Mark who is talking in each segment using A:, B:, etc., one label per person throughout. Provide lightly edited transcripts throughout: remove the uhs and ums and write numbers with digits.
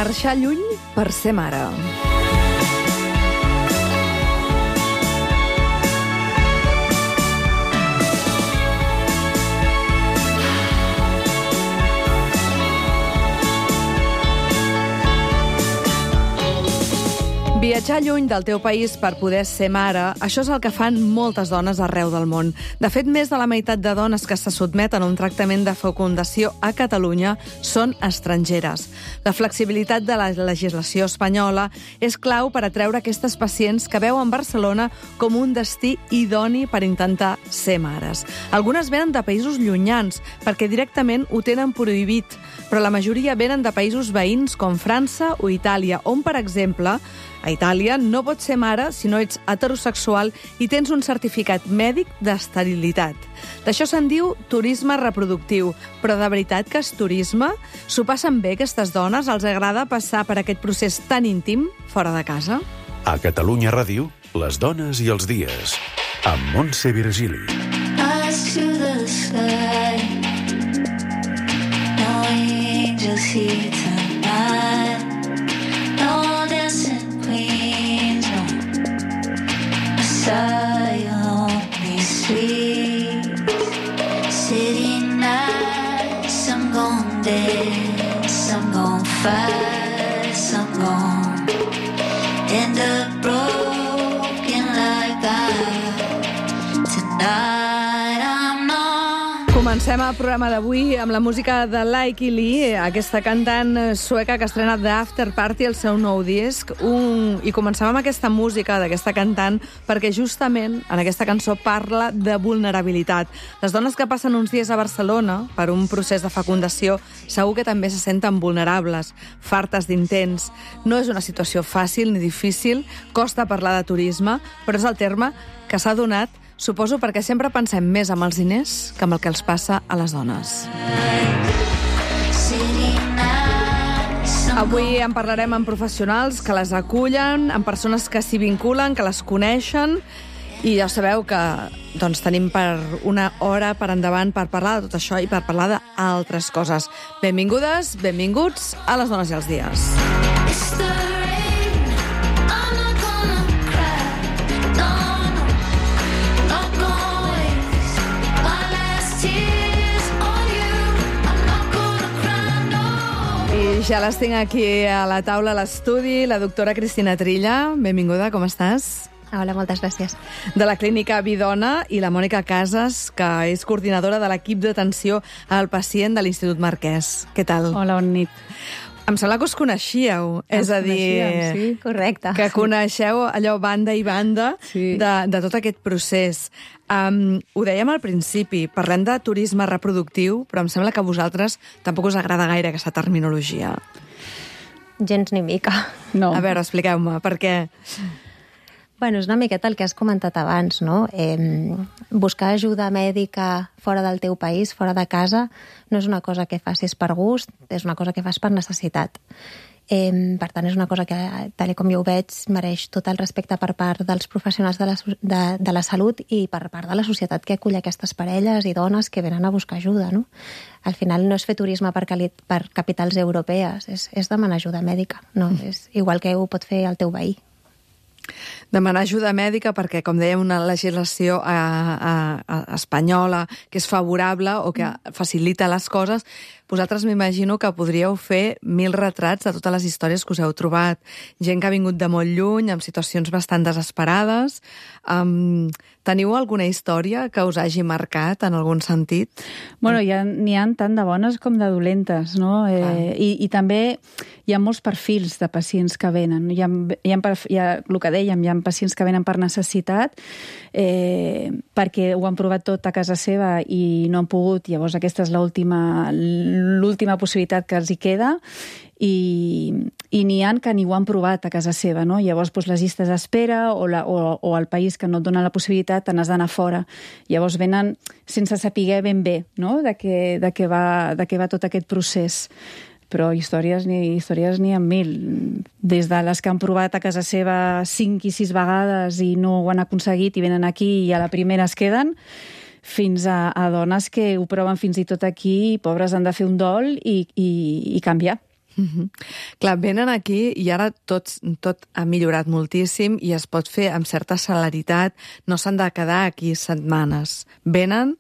A: Marxar lluny per ser mare. Viatjar lluny del teu país per poder ser mare, això és el que fan moltes dones arreu del món. De fet, més de la meitat de dones que se sotmeten a un tractament de fecundació a Catalunya són estrangeres. La flexibilitat de la legislació espanyola és clau per atreure aquestes pacients que veuen Barcelona com un destí idoni per intentar ser mares. Algunes venen de països llunyans, perquè directament ho tenen prohibit, però la majoria venen de països veïns com França o Itàlia, on, per exemple, a Itàlia no pots ser mare si no ets heterosexual i tens un certificat mèdic d'esterilitat. D'això se'n diu turisme reproductiu, però de veritat que és turisme? S'ho passen bé aquestes dones? Els agrada passar per aquest procés tan íntim fora de casa?
B: A Catalunya Ràdio, les dones i els dies, amb Montse Virgili.
C: Eyes to the sky, no angels here tonight, no dancing queens, no Messiah, only sweet. City nights, I'm gon' dance, I'm gon' fight, I'm gon' end up broken like tonight I'm not.
A: Comencem el programa d'avui amb la música de Lykke Li, aquesta cantant sueca que estrena The After Party, el seu nou disc. I comencem amb aquesta música d'aquesta cantant perquè justament en aquesta cançó parla de vulnerabilitat. Les dones que passen uns dies a Barcelona per un procés de fecundació segur que també se senten vulnerables, fartes d'intents. No és una situació fàcil ni difícil, costa parlar de turisme, però és el terme que s'ha donat, suposo, perquè sempre pensem més amb els diners que amb el que els passa a les dones. Avui en parlarem amb professionals que les acullen, amb persones que s'hi vinculen, que les coneixen, i ja sabeu que tenim per una hora per endavant per parlar de tot això i per parlar d'altres coses. Benvingudes, benvinguts a Les Dones i els Dies. Ja les tinc aquí a la taula a l'estudi, la doctora Cristina Trilla. Benvinguda, com estàs?
D: Hola, moltes gràcies.
A: De la Clínica Vidona, i la Mònica Casas, que és coordinadora de l'equip d'atenció al pacient de l'Institut Marquès. Què tal?
E: Hola, bona nit.
A: Em sembla que us coneixíeu, és a dir,
D: sí, correcte.
A: Que coneixeu allò banda i banda
E: Sí.
A: de tot aquest procés. Ho dèiem al principi, parlem de turisme reproductiu, però em sembla que a vosaltres tampoc us agrada gaire aquesta terminologia.
D: Gens ni mica.
E: No.
A: A veure, expliqueu-me, per què?
D: Bueno, és una miqueta el que has comentat abans, no? Buscar ajuda mèdica fora del teu país, fora de casa, no és una cosa que facis per gust, és una cosa que fas per necessitat. Per tant, és una cosa que, tal com jo ho veig, mereix tot el respecte per part dels professionals de la salut i per part de la societat que acull aquestes parelles i dones que venen a buscar ajuda, no? Al final no és fer turisme per capitals europees, és demanar ajuda mèdica, no? És igual que ho pot fer el teu veí.
A: Demanar ajuda mèdica perquè, com dèiem, una legislació espanyola que és favorable o que facilita les coses, vosaltres m'imagino que podríeu fer 1000 retrats de totes les històries que us heu trobat. Gent que ha vingut de molt lluny, amb situacions bastant desesperades. Teniu alguna història que us hagi marcat en algun sentit?
E: Bueno, n'hi ha tant de bones com de dolentes, no? I també hi ha molts perfils de pacients que venen. Hi ha el que dèiem, hi ha pacients que venen per necessitat, perquè ho han provat tot a casa seva i no han pogut, llavors aquesta és l'última possibilitat que els hi queda, i n'hi ha que ni ho han provat a casa seva, no? Llavors les llistes d'espera o el país que no et dona la possibilitat te n'has d'anar fora. Llavors venen sense saber ben bé, no? de què va tot aquest procés. Però històries n'hi ha 1000. Des de les que han provat a casa seva 5 i 6 vegades i no ho han aconseguit i venen aquí i a la primera es queden, fins a dones que ho proven fins i tot aquí i pobres han de fer un dol i canviar.
A: Clar, venen aquí i ara tot ha millorat moltíssim i es pot fer amb certa celeritat, no s'han de quedar aquí setmanes. Venen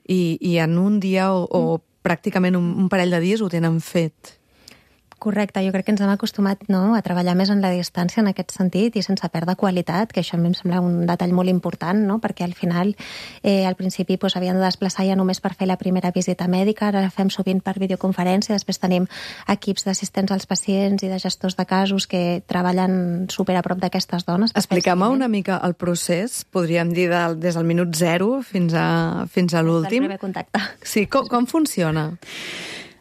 A: i en un dia o pràcticament un parell de dies ho tenen fet.
D: Correcte, jo crec que ens hem acostumat a treballar més en la distància en aquest sentit i sense perdre qualitat, que això a mi em sembla un detall molt important, perquè al final al principi havien de desplaçar ja només per fer la primera visita mèdica, ara la fem sovint per videoconferència, després tenim equips d'assistents als pacients i de gestors de casos que treballen super a prop d'aquestes dones.
A: Expliquem-me una mica el procés, podríem dir des del minut 0 fins a l'últim.
D: Del primer contacte.
A: Sí, com funciona?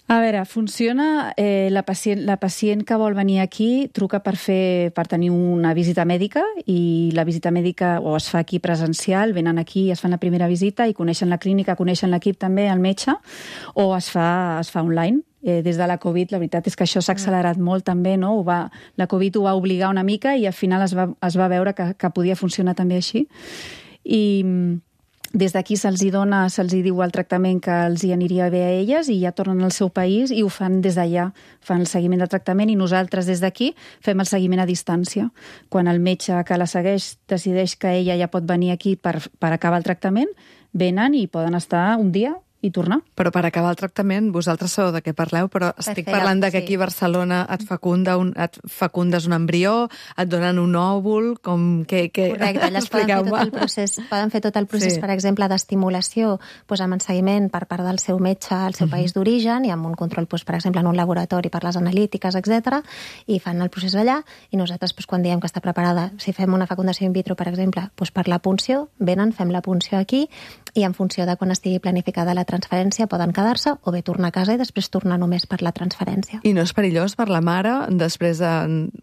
E: A veure, funciona... La pacient que vol venir aquí truca per tenir una visita mèdica i la visita mèdica o es fa aquí presencial, venen aquí, es fan la primera visita i coneixen la clínica, coneixen l'equip també, el metge, o es fa online. Des de la Covid, la veritat és que això s'ha accelerat molt també, no? La Covid ho va obligar una mica i al final es va veure que podia funcionar també així. I des d'aquí se'ls diu el tractament que els hi aniria bé a elles i ja tornen al seu país i ho fan des d'allà, fan el seguiment de tractament i nosaltres des d'aquí fem el seguiment a distància. Quan el metge que la segueix decideix que ella ja pot venir aquí per acabar el tractament, venen i poden estar un dia i tornar.
A: Però per acabar el tractament, vosaltres sabeu de què parleu, però estic parlant de que aquí a Barcelona et fecundes un embrió, et donen un òvul,
D: Correcte, elles poden fer tot el procés, per exemple, d'estimulació amb enseguiment per part del seu metge al seu país d'origen i amb un control, per exemple, en un laboratori per les analítiques, etc. I fan el procés allà i nosaltres, quan diem que està preparada, si fem una fecundació in vitro, per exemple, per la punció, venen, fem la punció aquí i en funció de quan estigui planificada la transferència poden quedar-se o bé tornar a casa i després tornar només per la transferència.
A: I no és perillós per la mare, després de,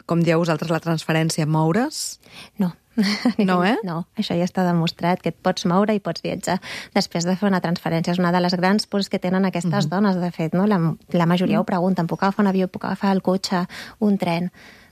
A: com dieu vosaltres, la transferència, moure's?
D: No.
A: No,
D: No, això ja està demostrat, que et pots moure i pots viatjar després de fer una transferència. És una de les grans pors que tenen aquestes dones, de fet, no? La majoria ho pregunten, puc agafar un avió, puc agafar el cotxe, un tren?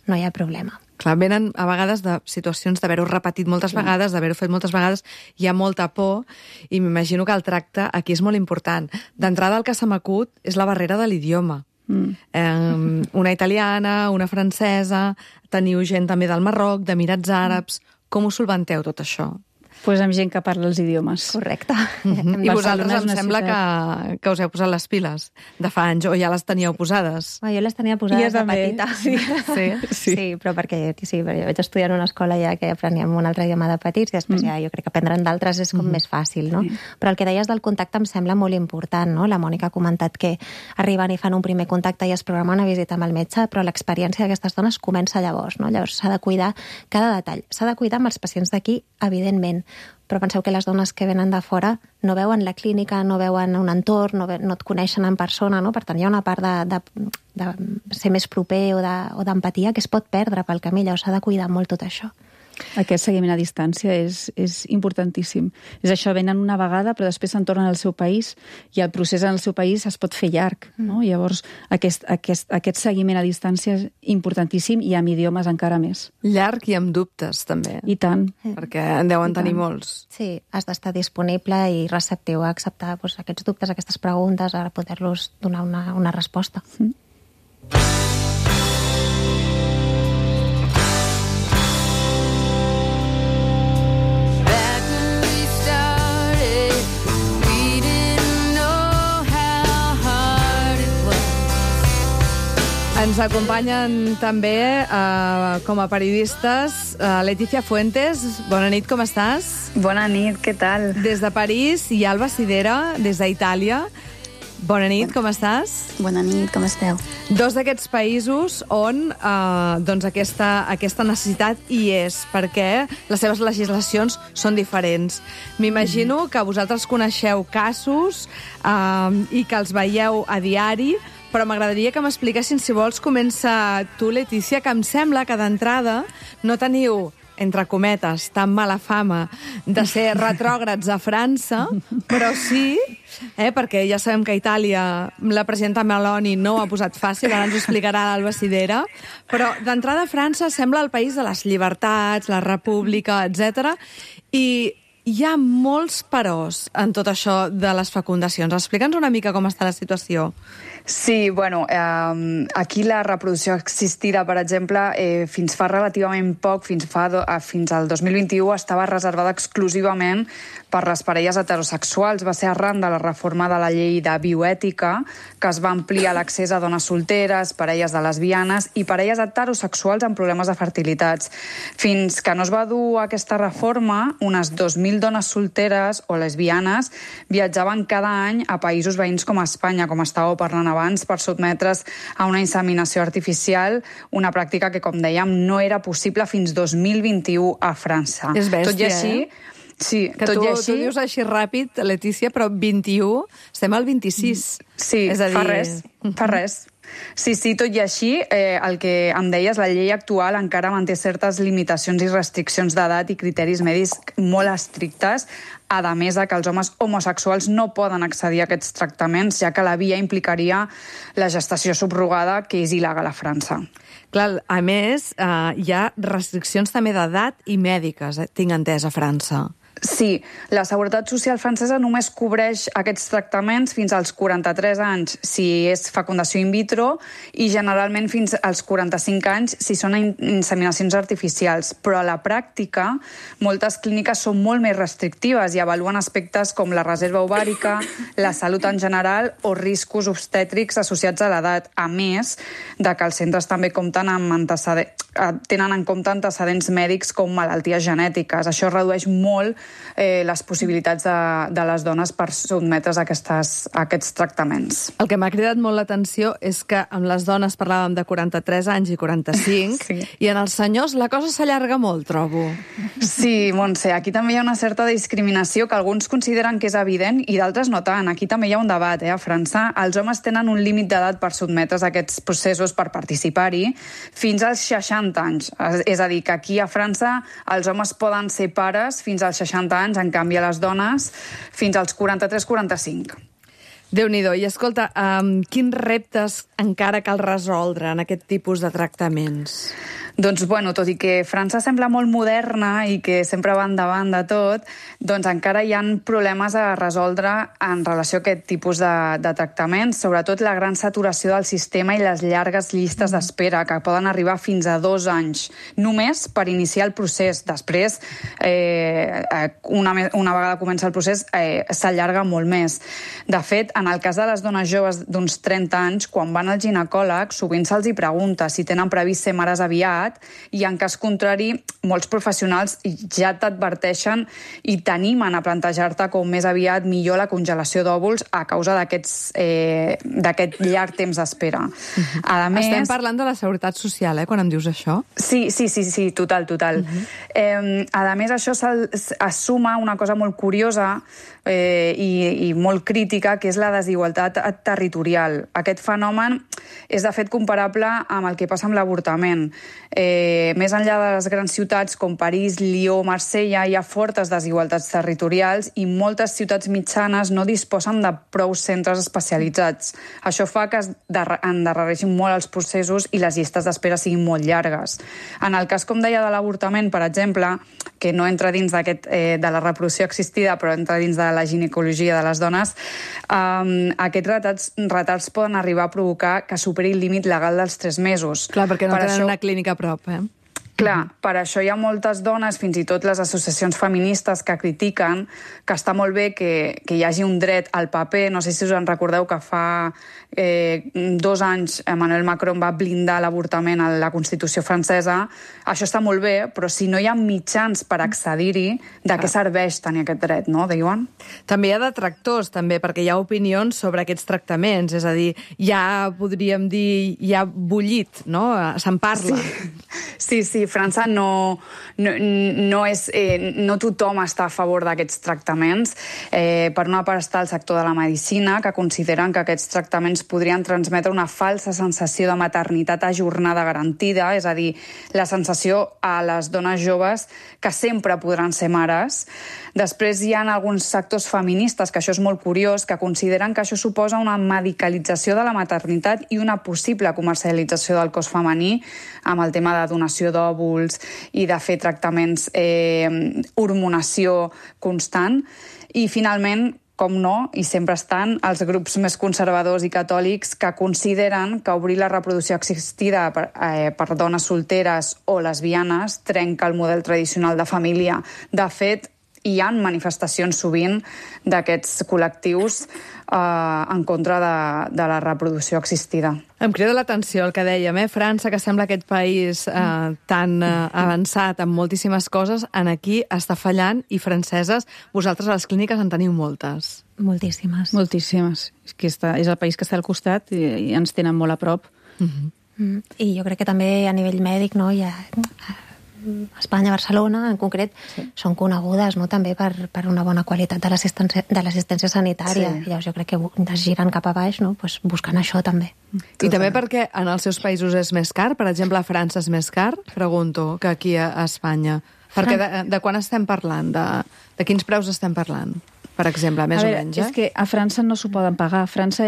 D: No hi ha problema.
A: Clar, venen a vegades de situacions d'haver-ho repetit moltes vegades, d'haver-ho fet moltes vegades, hi ha molta por i m'imagino que el tracte aquí és molt important. D'entrada el que se m'acut és la barrera de l'idioma. Una italiana, una francesa, teniu gent també del Marroc, d'Emirats Àrabs. Com ho solventeu tot això?
E: Amb gent que parla els idiomes.
D: Correcte.
A: I vosaltres em sembla que us heu posat les piles de fa anys, o ja les teníeu posades?
D: Jo les tenia posades de petita.
A: Sí,
D: però perquè jo vaig estudiar en una escola ja que apreníem un altre idioma de petits i després ja jo crec que aprendre'n d'altres és com més fàcil, no? Però el que deies del contacte em sembla molt important, no? La Mònica ha comentat que arriben i fan un primer contacte i es programa una visita amb el metge, però l'experiència d'aquestes dones comença llavors, no? Llavors s'ha de cuidar cada detall. S'ha de cuidar amb els pacients d'aquí, evidentment, però penseu que les dones que venen de fora no veuen la clínica, no veuen un entorn, no et coneixen en persona, no? Per tant, hi ha una part de ser més proper o d'empatia que es pot perdre pel camí, llavors s'ha de cuidar molt tot això.
E: Aquest seguiment a distància és importantíssim. És això, venen una vegada, però després se'n tornen al seu país i el procés en el seu país es pot fer llarg, no? Llavors, aquest seguiment a distància és importantíssim i amb idiomes encara més.
A: Llarg i amb dubtes, també.
E: I tant.
A: Perquè en deuen tenir molts.
D: Sí, has d'estar disponible i receptiu a acceptar aquests dubtes, aquestes preguntes, a poder-los donar una resposta.
A: Ens acompanyen també com a periodistes Letícia Fuentes. Bona nit, com estàs?
F: Bona nit, què tal?
A: Des de París, i Alba Sidera, des d'Itàlia. Bona nit, com estàs?
F: Bona nit, com esteu?
A: Dos d'aquests països on aquesta necessitat hi és, perquè les seves legislacions són diferents. M'imagino que vosaltres coneixeu casos i que els veieu a diari, però m'agradaria que m'expliquessin, si vols, comença tu, Letícia, que em sembla que d'entrada no teniu, entre cometes, tan mala fama de ser retrògrads a França, però sí, perquè ja sabem que a Itàlia la presidenta Meloni no ho ha posat fàcil, ara ens ho explicarà l'Alba Sidera, però d'entrada França sembla el país de les llibertats, la república, etc. I hi ha molts peròs en tot això de les fecundacions. Explica'ns una mica com està la situació.
F: Sí, bueno, aquí la reproducció assistida, per exemple, fins fa relativament poc, fins al 2021, estava reservada exclusivament per les parelles heterosexuals. Va ser arran de la reforma de la llei de bioètica, que es va ampliar l'accés a dones solteres, parelles de lesbianes i parelles heterosexuals amb problemes de fertilitats. Fins que no es va dur aquesta reforma, unes 2.000 dones solteres o lesbianes viatjaven cada any a països veïns com Espanya, com estàveu parlant abans, per sotmetre's a una inseminació artificial, una pràctica que, com dèiem, no era possible fins 2021 a França.
A: És bèstia,
F: tot i així, sí,
A: que
F: tot
A: tu,
F: i així...
A: tu dius així ràpid, Letícia, però 21, estem al 26.
F: Sí,
A: és a dir...
F: fa res. Sí, tot i així, el que em deies, la llei actual encara manté certes limitacions i restriccions d'edat i criteris medis molt estrictes, a més que els homes homosexuals no poden accedir a aquests tractaments, ja que la via implicaria la gestació subrogada, que és il·legal a França.
A: Clar, a més, hi ha restriccions també d'edat i mèdiques, tinc entès, a França.
F: Sí, la Seguretat Social francesa només cobreix aquests tractaments fins als 43 anys si és fecundació in vitro i generalment fins als 45 anys si són inseminacions artificials. Però a la pràctica, moltes clíniques són molt més restrictives i avaluen aspectes com la reserva ovàrica, la salut en general o riscos obstètrics associats a l'edat, a més de que els centres també compten amb tenen en compte antecedents mèdics com malalties genètiques. Això redueix molt les possibilitats de les dones per sotmetre's a aquests tractaments.
A: El que m'ha cridat molt l'atenció és que amb les dones parlàvem de 43 anys i 45, sí. I en els senyors la cosa s'allarga molt, trobo.
F: Sí, Montse, aquí també hi ha una certa discriminació que alguns consideren que és evident i d'altres no tant. Aquí també hi ha un debat, A França, els homes tenen un límit d'edat per sotmetre's a aquests processos, per participar-hi, fins als 60 anys. És a dir, que aquí a França els homes poden ser pares fins als 60 anys, en canvi a les dones fins als 43-45.
A: Déu-n'hi-do. I escolta, quins reptes encara cal resoldre en aquest tipus de tractaments?
F: Doncs, bueno, tot i que França sembla molt moderna i que sempre va endavant de tot, doncs encara hi ha problemes a resoldre en relació a aquest tipus de tractaments, sobretot la gran saturació del sistema i les llargues llistes d'espera, que poden arribar fins a 2 anys, només per iniciar el procés. Després, una vegada comença el procés, s'allarga molt més. De fet, en el cas de les dones joves d'uns 30 anys, quan van al ginecòleg, sovint se'ls hi pregunta si tenen previst ser mares aviat, i en cas contrari, molts professionals ja t'adverteixen i t'animen a plantejar-te com més aviat millor la congelació d'òvuls a causa d'aquest llarg temps d'espera. A més...
A: Estem parlant de la Seguretat Social, quan em dius això?
F: Sí, total. A més, això es suma una cosa molt curiosa i molt crítica, que és la desigualtat territorial. Aquest fenomen és, de fet, comparable amb el que passa amb l'avortament. Més enllà de les grans ciutats com París, Lió, Marsella, hi ha fortes desigualtats territorials i moltes ciutats mitjanes no disposen de prou centres especialitzats. Això fa que es endarrereixin molt els processos i les llistes d'espera siguin molt llargues. En el cas, com deia, de l'avortament, per exemple, que no entra dins de la reproducció assistida, però entra dins de la ginecologia de les dones, aquests retards poden arribar a provocar que superi el límit legal dels 3 mesos.
A: Clar, perquè no tenen una clínica a prop,
F: Clar, per això hi ha moltes dones, fins i tot les associacions feministes, que critiquen que està molt bé que hi hagi un dret al paper. No sé si us en recordeu que fa 2 anys Emmanuel Macron va blindar l'avortament a la Constitució francesa. Això està molt bé, però si no hi ha mitjans per accedir-hi, de què serveix tenir aquest dret, no, diuen?
A: També hi ha detractors, també, perquè hi ha opinions sobre aquests tractaments. És a dir, ja podríem dir, ja bullit, no? Se'n parla.
F: Sí, França no tothom està a favor d'aquests tractaments. Per una part està el sector de la medicina, que consideren que aquests tractaments podrien transmetre una falsa sensació de maternitat ajornada garantida, és a dir, la sensació a les dones joves que sempre podran ser mares. Després hi ha alguns sectors feministes, que això és molt curiós, que consideren que això suposa una medicalització de la maternitat i una possible comercialització del cos femení amb el tema de donació d'òvuls, òvuls i de fer tractaments hormonació constant. I finalment, com no, i sempre estan els grups més conservadors i catòlics que consideren que obrir la reproducció assistida per dones solteres o lesbianes trenca el model tradicional de família. De fet, hi ha manifestacions sovint d'aquests col·lectius en contra de la reproducció assistida.
A: Em crida l'atenció el que dèiem, França, que sembla aquest país tan avançat en moltíssimes coses, aquí està fallant, i franceses, vosaltres a les clíniques en teniu moltes.
D: Moltíssimes.
E: Moltíssimes. És que és el país que està al costat i ens tenen molt a prop.
D: I jo crec que també a nivell mèdic, no, hi ha... Espanya, Barcelona, en concret, són conegudes, no, també per una bona qualitat de l'assistència sanitària. I llavors jo crec que es giren cap a baix, no, pues buscant això també.
A: I també perquè en els seus països és més car? Per exemple, a França és més car, pregunto, que aquí a Espanya. Perquè de quan estem parlant? De quins preus estem parlant? Per exemple, més o menys.
E: És que a França no s'ho poden pagar. França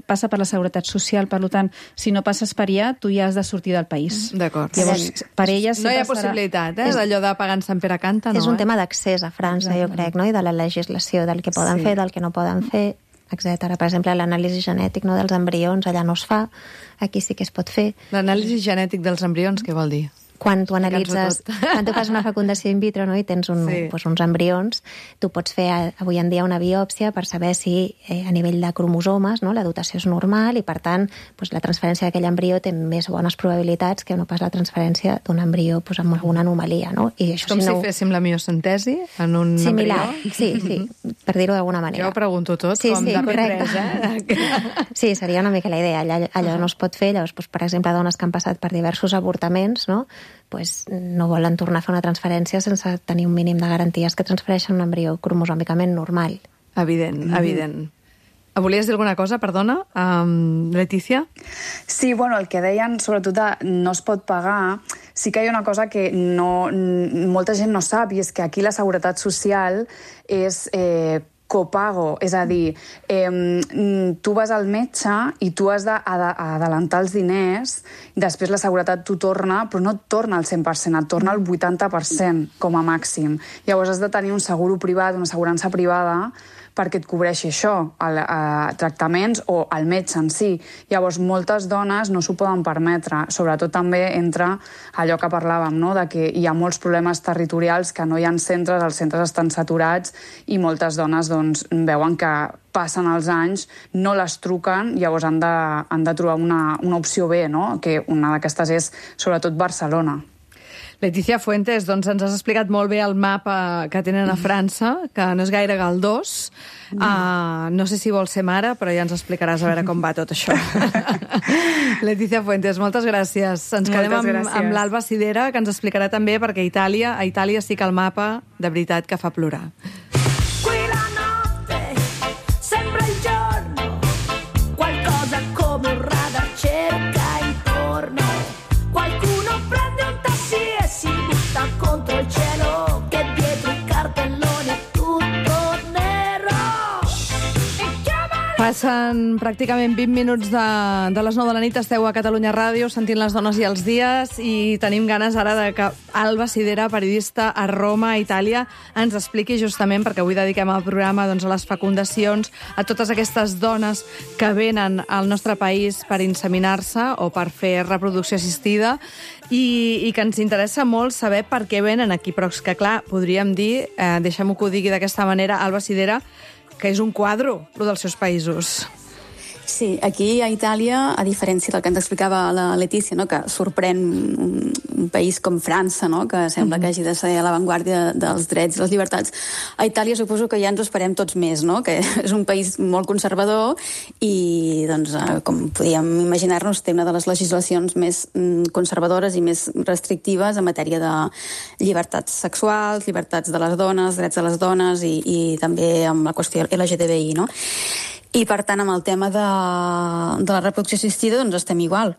E: passa per la Seguretat Social, per tant, si no passes per allà, tu ja has de sortir del país.
A: D'acord.
E: Llavors, per elles...
A: No hi ha possibilitat, d'allò de pagar en Sant Pere Canta, no?
D: És un tema d'accés a França, jo crec, no? I de la legislació, del que poden fer, del que no poden fer, etc. Per exemple, l'anàlisi genètic, no, dels embrions, allà no es fa, aquí sí que es pot fer.
A: L'anàlisi genètic dels embrions, què vol dir?
D: Quan tu analitzes, quan tu fas una fecundació in vitro, no, i tens uns embrions, tu pots fer avui en dia una biòpsia per saber si a nivell de cromosomes, no, la dotació és normal i, per tant, la transferència d'aquell embrió té més bones probabilitats que no pas la transferència d'un embrió amb alguna anomalia. No? I això,
A: com si féssim la miocentesi en un
D: similar,
A: embrió?
D: Sí, per dir-ho d'alguna manera.
A: Jo ho pregunto tot, com de P3,
D: Sí, seria una mica la idea. Allò no es pot fer. Llavors, per exemple, dones que han passat per diversos avortaments, no volen tornar a fer una transferència sense tenir un mínim de garanties que transfereixen un embrió cromosòmicament normal.
A: Evident. Volies dir alguna cosa, perdona, Letícia?
F: Sí, el que deien, sobretot, no es pot pagar. Sí que hi ha una cosa que molta gent no sap, i és que aquí la Seguretat Social és copago, és a dir, tu vas al metge i tu has d'adelantar els diners, i després la seguretat t'ho torna, però no et torna al 100%, et torna al 80% com a màxim. Llavors has de tenir un seguro privat, una assegurança privada, perquè et cobreixi això, tractaments o el metge en si. Llavors, moltes dones no s'ho poden permetre. Sobretot també entra allò que parlàvem, no?, de que hi ha molts problemes territorials, que no hi ha centres, els centres estan saturats, i moltes dones veuen que passen els anys, no les truquen, llavors han de trobar una opció B, no?, que una d'aquestes és sobretot Barcelona.
A: Letícia Fuentes, ens has explicat molt bé el mapa que tenen a França, que no és gaire galdós. No sé si vols ser mare, però ja ens explicaràs a veure com va tot això. Letícia Fuentes, moltes gràcies. Ens quedem amb l'Alba Sidera, que ens explicarà també, perquè a Itàlia sí que el mapa, de veritat, que fa plorar.
G: Qui la notte sembra il giorno, qualcosa come un radar cerca intorno, qualcuno prende un taxi e si butta contro il cielo, che dietro i cartelloni è tutto nero.
A: Passen pràcticament 20 minuts de les 9 de la nit, esteu a Catalunya Ràdio sentint Les dones i els dies, i tenim ganes ara de que Alba Sidera, periodista a Roma, Itàlia, ens expliqui justament, perquè avui dediquem el programa a les fecundacions, a totes aquestes dones que venen al nostre país per inseminar-se o per fer reproducció assistida, i que ens interessa molt saber per què venen aquí, però és que, clar, podríem dir, deixem-ho que ho digui d'aquesta manera, Alba Sidera, que és un quadre, el dels seus països.
H: Sí, aquí a Itàlia, a diferència del que ens explicava la Letícia, no?, que sorprèn un país com França, no?, que sembla que hagi de ser a l'avantguàrdia dels drets i les llibertats, a Itàlia suposo que ja ens ho esperem tots més, no?, que és un país molt conservador i, com podíem imaginar-nos, té una de les legislacions més conservadores i més restrictives en matèria de llibertats sexuals, llibertats de les dones, drets de les dones i també amb la qüestió LGTBI, no? I, per tant, amb el tema de la reproducció assistida, estem igual.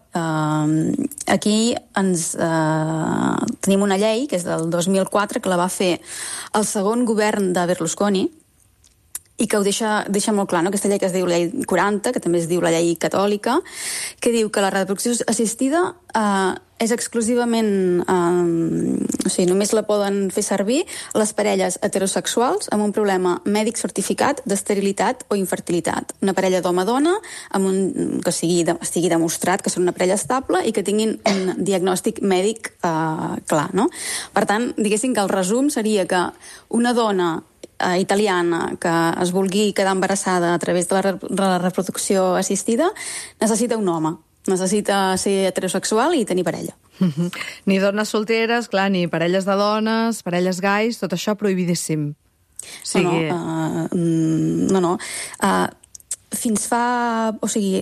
H: Aquí tenim una llei, que és del 2004, que la va fer el segon govern de Berlusconi, i que ho deixa molt clar, no? Aquesta llei que es diu la llei 40, que també es diu la llei catòlica, que diu que la reproducció assistida és exclusivament... o sigui, només la poden fer servir les parelles heterosexuals amb un problema mèdic certificat d'esterilitat o infertilitat. Una parella d'home-dona que estigui demostrat que són una parella estable i que tinguin un diagnòstic mèdic clar, no? Per tant, diguéssim que el resum seria que una dona italiana que es vulgui quedar embarassada a través de la reproducció assistida necessita un home, necessita ser heterosexual i tenir parella.
A: Ni dones solteres, clar, ni parelles de dones, parelles gais, tot això prohibidíssim. O sigui...
H: No. Fins fa... O sigui,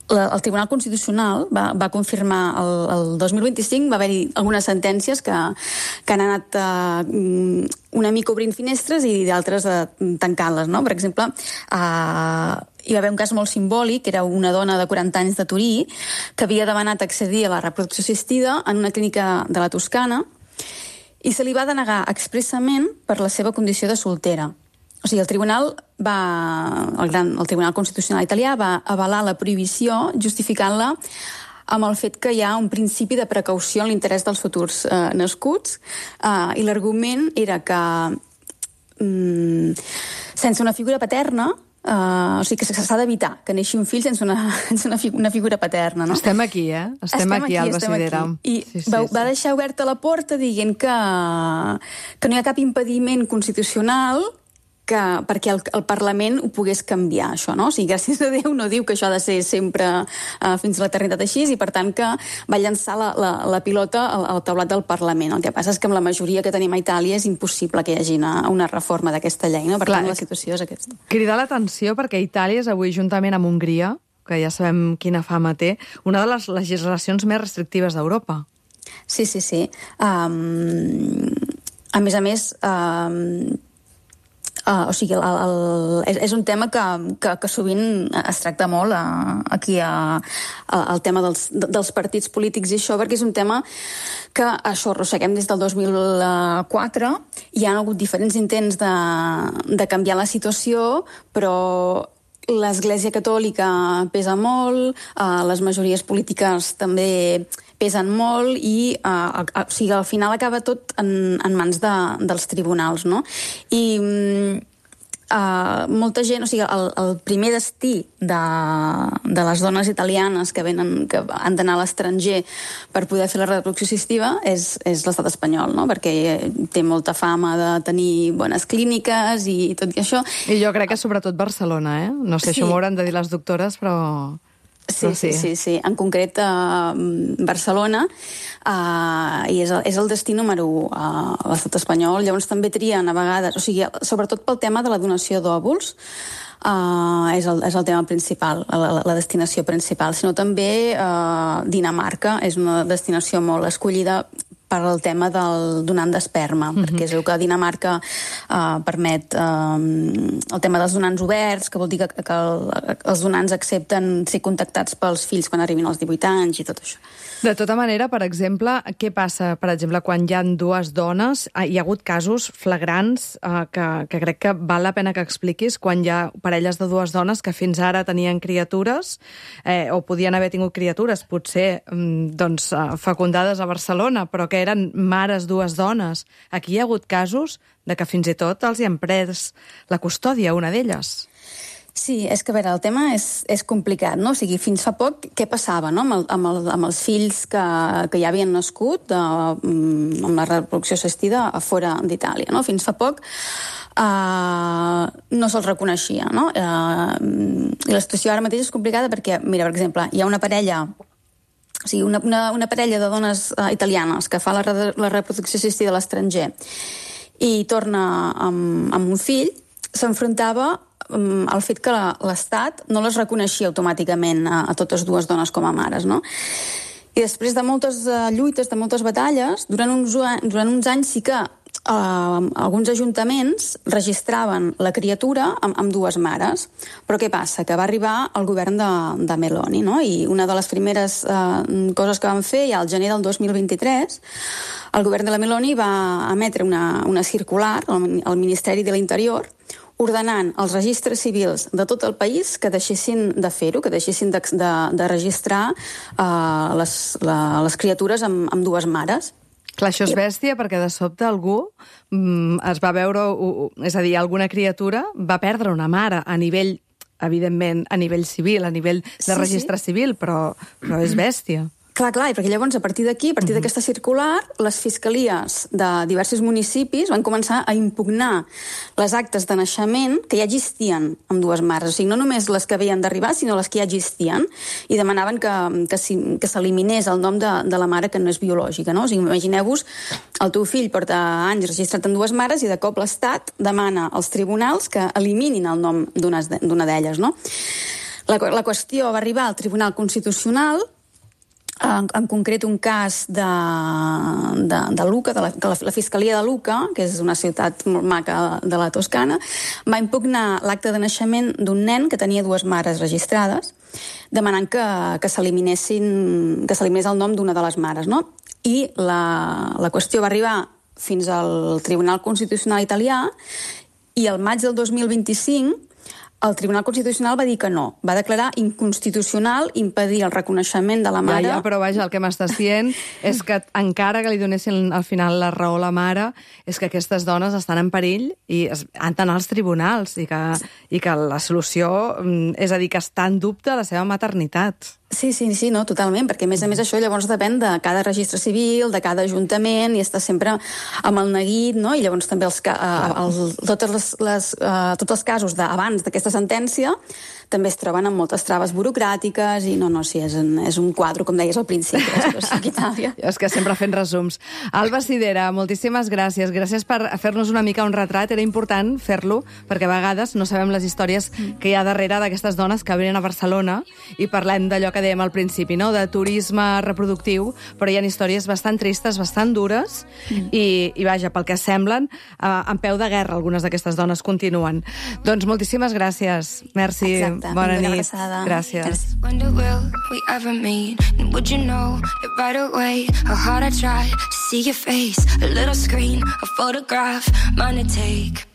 H: el Tribunal Constitucional va confirmar el 2025, va haver-hi algunes sentències que han anat una mica obrint finestres i d'altres tancant-les, no? Per exemple, hi va haver un cas molt simbòlic, que era una dona de 40 anys de Turí que havia demanat accedir a la reproducció assistida en una clínica de la Toscana i se li va denegar expressament per la seva condició de soltera. O sigui, el Tribunal Constitucional italià va avalar la prohibició justificant-la amb el fet que hi ha un principi de precaució en l'interès dels futurs nascuts i l'argument era que sense una figura paterna o sigui que s'ha d'evitar que neixi un fill sense una figura paterna, no?
A: Estem aquí, Estem aquí, Alba Sidera.
H: I va deixar oberta la porta dient que no hi ha cap impediment constitucional perquè el Parlament ho pogués canviar, això, no? O sigui, gràcies a Déu no diu que això ha de ser sempre fins a l'eternitat així i, per tant, que va llançar la pilota al taulat del Parlament. El que passa és que amb la majoria que tenim a Itàlia és impossible que hi hagi una reforma d'aquesta llei, no? Per tant, la situació és aquesta.
A: Cridar l'atenció perquè Itàlia és avui, juntament amb Hongria, que ja sabem quina fama té, una de les legislacions més restrictives d'Europa.
H: Sí. A més, o sigui, és un tema que sovint es tracta molt aquí el tema dels partits polítics i això, perquè és un tema que això arrosseguem des del 2004. Hi ha hagut diferents intents de canviar la situació, però l'Església Catòlica pesa molt, les majories polítiques també pesen molt i o sigui, al final acaba tot en mans dels tribunals, no? I molta gent, o sigui, el primer destí de les dones italianes que han d'anar a l'estranger per poder fer la reproducció assistiva és l'estat espanyol, no? Perquè té molta fama de tenir bones clíniques i tot i això.
A: I jo crec que sobretot Barcelona, No sé, això m'ho hauran de dir les doctores, però...
H: Sí. En concret, Barcelona i és el destí número 1 a l'estat espanyol. Llavors també trien a vegades, o sigui, sobretot pel tema de la donació d'òvuls, és el tema principal, la destinació principal, sinó també Dinamarca és una destinació molt escollida per al tema del donant d'esperma, perquè es veu que Dinamarca permet el tema dels donants oberts, que vol dir que els donants accepten ser contactats pels fills quan arribin als 18 anys i tot això.
A: De tota manera, per exemple, què passa, per exemple, quan hi ha dues dones? Hi ha hagut casos flagrants que crec que val la pena que expliquis, quan hi ha parelles de dues dones que fins ara tenien criatures o podien haver tingut criatures, potser fecundades a Barcelona, però que eren mares dues dones. Aquí hi ha hagut casos de que fins i tot els hi han pres la custòdia, una d'elles.
H: Sí, és que, a veure, el tema és complicat, no? O sigui, fins fa poc, què passava, no? Amb els fills que ja havien nascut amb la reproducció assistida a fora d'Itàlia, no? Fins fa poc no se'ls reconeixia, no? I la situació ara mateix és complicada perquè, mira, per exemple, hi ha una parella... O sigui, una parella de dones italianes que fa la reproducció assistida a l'estranger i torna amb un fill, s'enfrontava al fet que l'Estat no les reconeixia automàticament a totes dues dones com a mares, no? I després de moltes lluites, de moltes batalles, durant uns anys sí que alguns ajuntaments registraven la criatura amb dues mares. Però què passa? Que va arribar el govern de Meloni, no? I una de les primeres coses que van fer, ja al gener del 2023, el govern de la Meloni va emetre una circular al Ministeri de l'Interior ordenant els registres civils de tot el país que deixessin de fer-ho, que deixessin de registrar les criatures amb dues mares.
A: Clar, això és bèstia perquè de sobte algú es va veure, és a dir, alguna criatura va perdre una mare a nivell, evidentment, a nivell civil, a nivell de registre civil, però és bèstia.
H: Clar, i perquè llavors, a partir d'aquí, a partir d'aquesta circular, les fiscalies de diversos municipis van començar a impugnar les actes de naixement que ja existien amb dues mares. O sigui, no només les que havien d'arribar, sinó les que ja existien, i demanaven que s'eliminés el nom de la mare que no és biològica, no? O sigui, imagineu-vos, el teu fill porta anys registrat amb dues mares i de cop l'Estat demana als tribunals que eliminin el nom d'una d'elles, no? La qüestió va arribar al Tribunal Constitucional, en concret un cas de Lucca, de la Fiscalia de Lucca, que és una ciutat molt maca de la Toscana, va impugnar l'acte de naixement d'un nen que tenia dues mares registrades, demanant que s'eliminés el nom d'una de les mares, no? I la qüestió va arribar fins al Tribunal Constitucional italià i al maig del 2025 el Tribunal Constitucional va dir que no. Va declarar inconstitucional impedir el reconeixement de la mare.
A: Ja, però vaja, el que m'estàs dient és que encara que li donessin al final la raó a la mare, és que aquestes dones estan en perill i han d'anar als tribunals i que la solució, és a dir, que està en dubte la seva maternitat.
H: Sí, no, totalment, perquè a més això llavors depèn de cada registre civil, de cada ajuntament, i està sempre amb el neguit, no? I llavors també tots els casos abans d'aquesta sentència també es troben amb moltes traves burocràtiques i sí, és un quadre, com deies al principi, aquí a Itàlia.
A: És que sempre fent resums. Alba Sidera, moltíssimes gràcies. Gràcies per fer-nos una mica un retrat. Era important fer-lo, perquè a vegades no sabem les històries que hi ha darrere d'aquestes dones que venen a Barcelona i parlem d'allò que dèiem al principi, no? De turisme reproductiu, però hi ha històries bastant tristes, bastant dures, i vaja, pel que semblen, en peu de guerra algunes d'aquestes dones continuen. Doncs moltíssimes gràcies. Merci.
H: Exacte.
A: Bona nit. Gràcies.
C: Wonder will we ever meet? And would you know it right away? How hard I try to see your face. A little screen, a photograph, mine to take.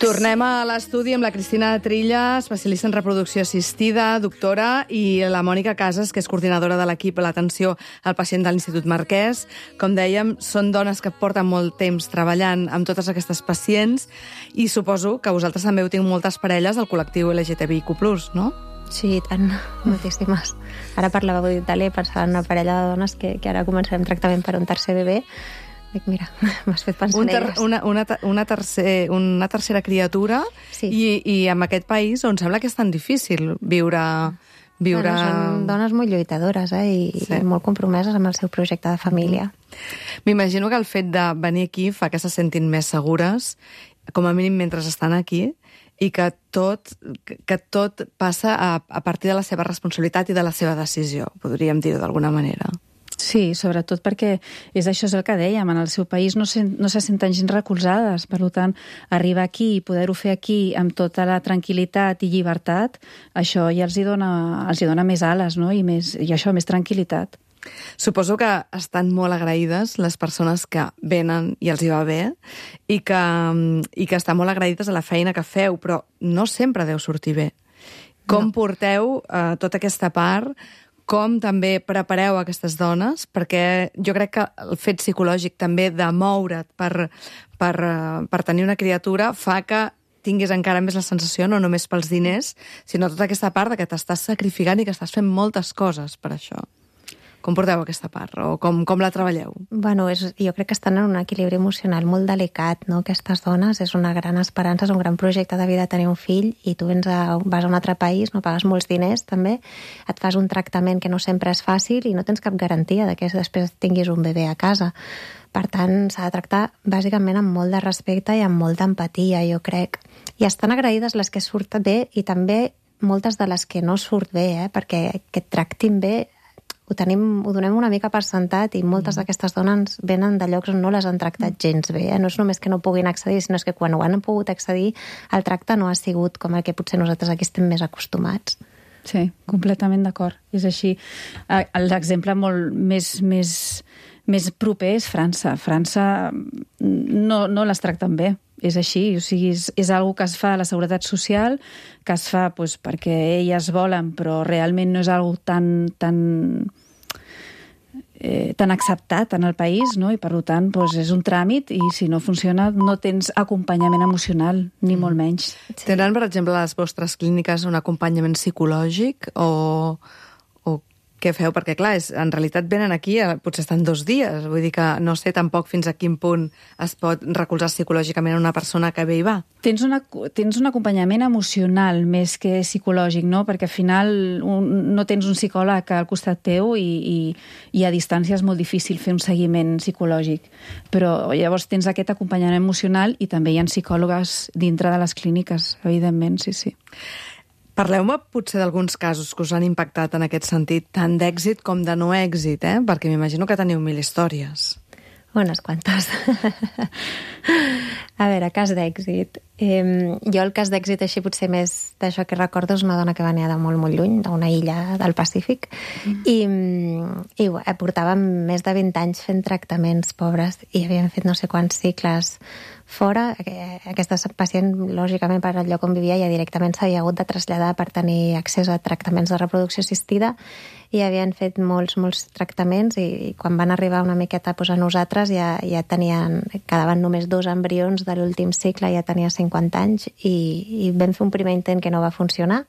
A: Tornem a l'estudi amb la Cristina Trilla, especialista en reproducció assistida, doctora, i la Mònica Casas, que és coordinadora de l'equip a l'atenció al pacient de l'Institut Marquès. Com dèiem, són dones que porten molt temps treballant amb totes aquestes pacients i suposo que vosaltres també heu tingut moltes parelles del col·lectiu LGTBIQ+, no?
D: Sí, tant, moltíssimes. Ara parlàveu d'Itàlia i pensava en una parella de dones que ara començarem tractament per un tercer bebè. Dic, mira, m'has fet pensar en elles.
A: Una tercera criatura, sí. I en aquest país on sembla que és tan difícil viure...
D: Bueno, són dones molt lluitadores i molt compromeses amb el seu projecte de família.
A: M'imagino que el fet de venir aquí fa que se sentin més segures, com a mínim mentre estan aquí, i que tot passa a partir de la seva responsabilitat i de la seva decisió, podríem dir-ho d'alguna manera.
E: Sí, sobretot perquè és el que dèiem, en el seu país no se senten gens recolzades, per tant, arribar aquí i poder-ho fer aquí amb tota la tranquil·litat i llibertat, això ja els hi dona més ales, no? I això, més tranquil·litat.
A: Suposo que estan molt agraïdes les persones que venen i els hi va bé i que estan molt agraïdes a la feina que feu, però no sempre deu sortir bé. Com porteu tota aquesta part? Com també prepareu aquestes dones? Perquè jo crec que el fet psicològic també de moure't per tenir una criatura fa que tinguis encara més la sensació, no només pels diners, sinó tota aquesta part de que t'estàs sacrificant i que estàs fent moltes coses per això. Com porteu aquesta part? O com la treballeu?
D: Bueno, jo crec que estan en un equilibri emocional molt delicat, no? Aquestes dones, és una gran esperança, és un gran projecte de vida tenir un fill, i tu vas a un altre país, no pagues molts diners també, et fas un tractament que no sempre és fàcil i no tens cap garantia de que després tinguis un bebè a casa. Per tant, s'ha de tractar bàsicament amb molt de respecte i amb molta empatia, jo crec. I estan agraïdes les que surten bé i també moltes de les que no surt bé, perquè que et tractin bé ho donem una mica per sentat i moltes d'aquestes dones venen de llocs on no les han tractat gens bé. No és només que no puguin accedir, sinó que quan ho han pogut accedir el tracte no ha sigut com el que potser nosaltres aquí estem més acostumats.
E: Sí, completament d'acord. És així. L'exemple molt més proper és França. França no les tracten bé. És així, o sigui, és algo que es fa a la Seguretat Social, que es fa perquè elles volen, però realment no és algo tan acceptat en el país, no? I per tant és un tràmit i si no funciona no tens acompanyament emocional, ni molt menys.
A: Tenen, per exemple, a les vostres clíniques un acompanyament psicològic o què feu? Perquè, clar, en realitat venen aquí, potser estan 2 dies, vull dir que no sé tampoc fins a quin punt es pot recolzar psicològicament una persona que ve i va.
E: Tens un acompanyament emocional més que psicològic, no? Perquè al final no tens un psicòleg al costat teu i a distància és molt difícil fer un seguiment psicològic. Però llavors tens aquest acompanyament emocional i també hi ha psicòlogues dintre de les clíniques, evidentment, sí.
A: Parleu-me potser d'alguns casos que us han impactat en aquest sentit, tant d'èxit com de no èxit, perquè m'imagino que teniu 1000 històries.
D: Unes quantes. A veure, cas d'èxit. Jo el cas d'èxit així potser més d'això que recordo és una dona que venia de molt, molt lluny, d'una illa del Pacífic, i portàvem més de 20 anys fent tractaments pobres i havíem fet no sé quants cicles fora. Aquesta pacient, lògicament, per al lloc on vivia ja directament s'havia hagut de traslladar per tenir accés a tractaments de reproducció assistida i havien fet molts tractaments i quan van arribar una miqueta a nosaltres ja quedaven només 2 embrions de l'últim cicle, ja tenia 50 anys i vam fer un primer intent que no va funcionar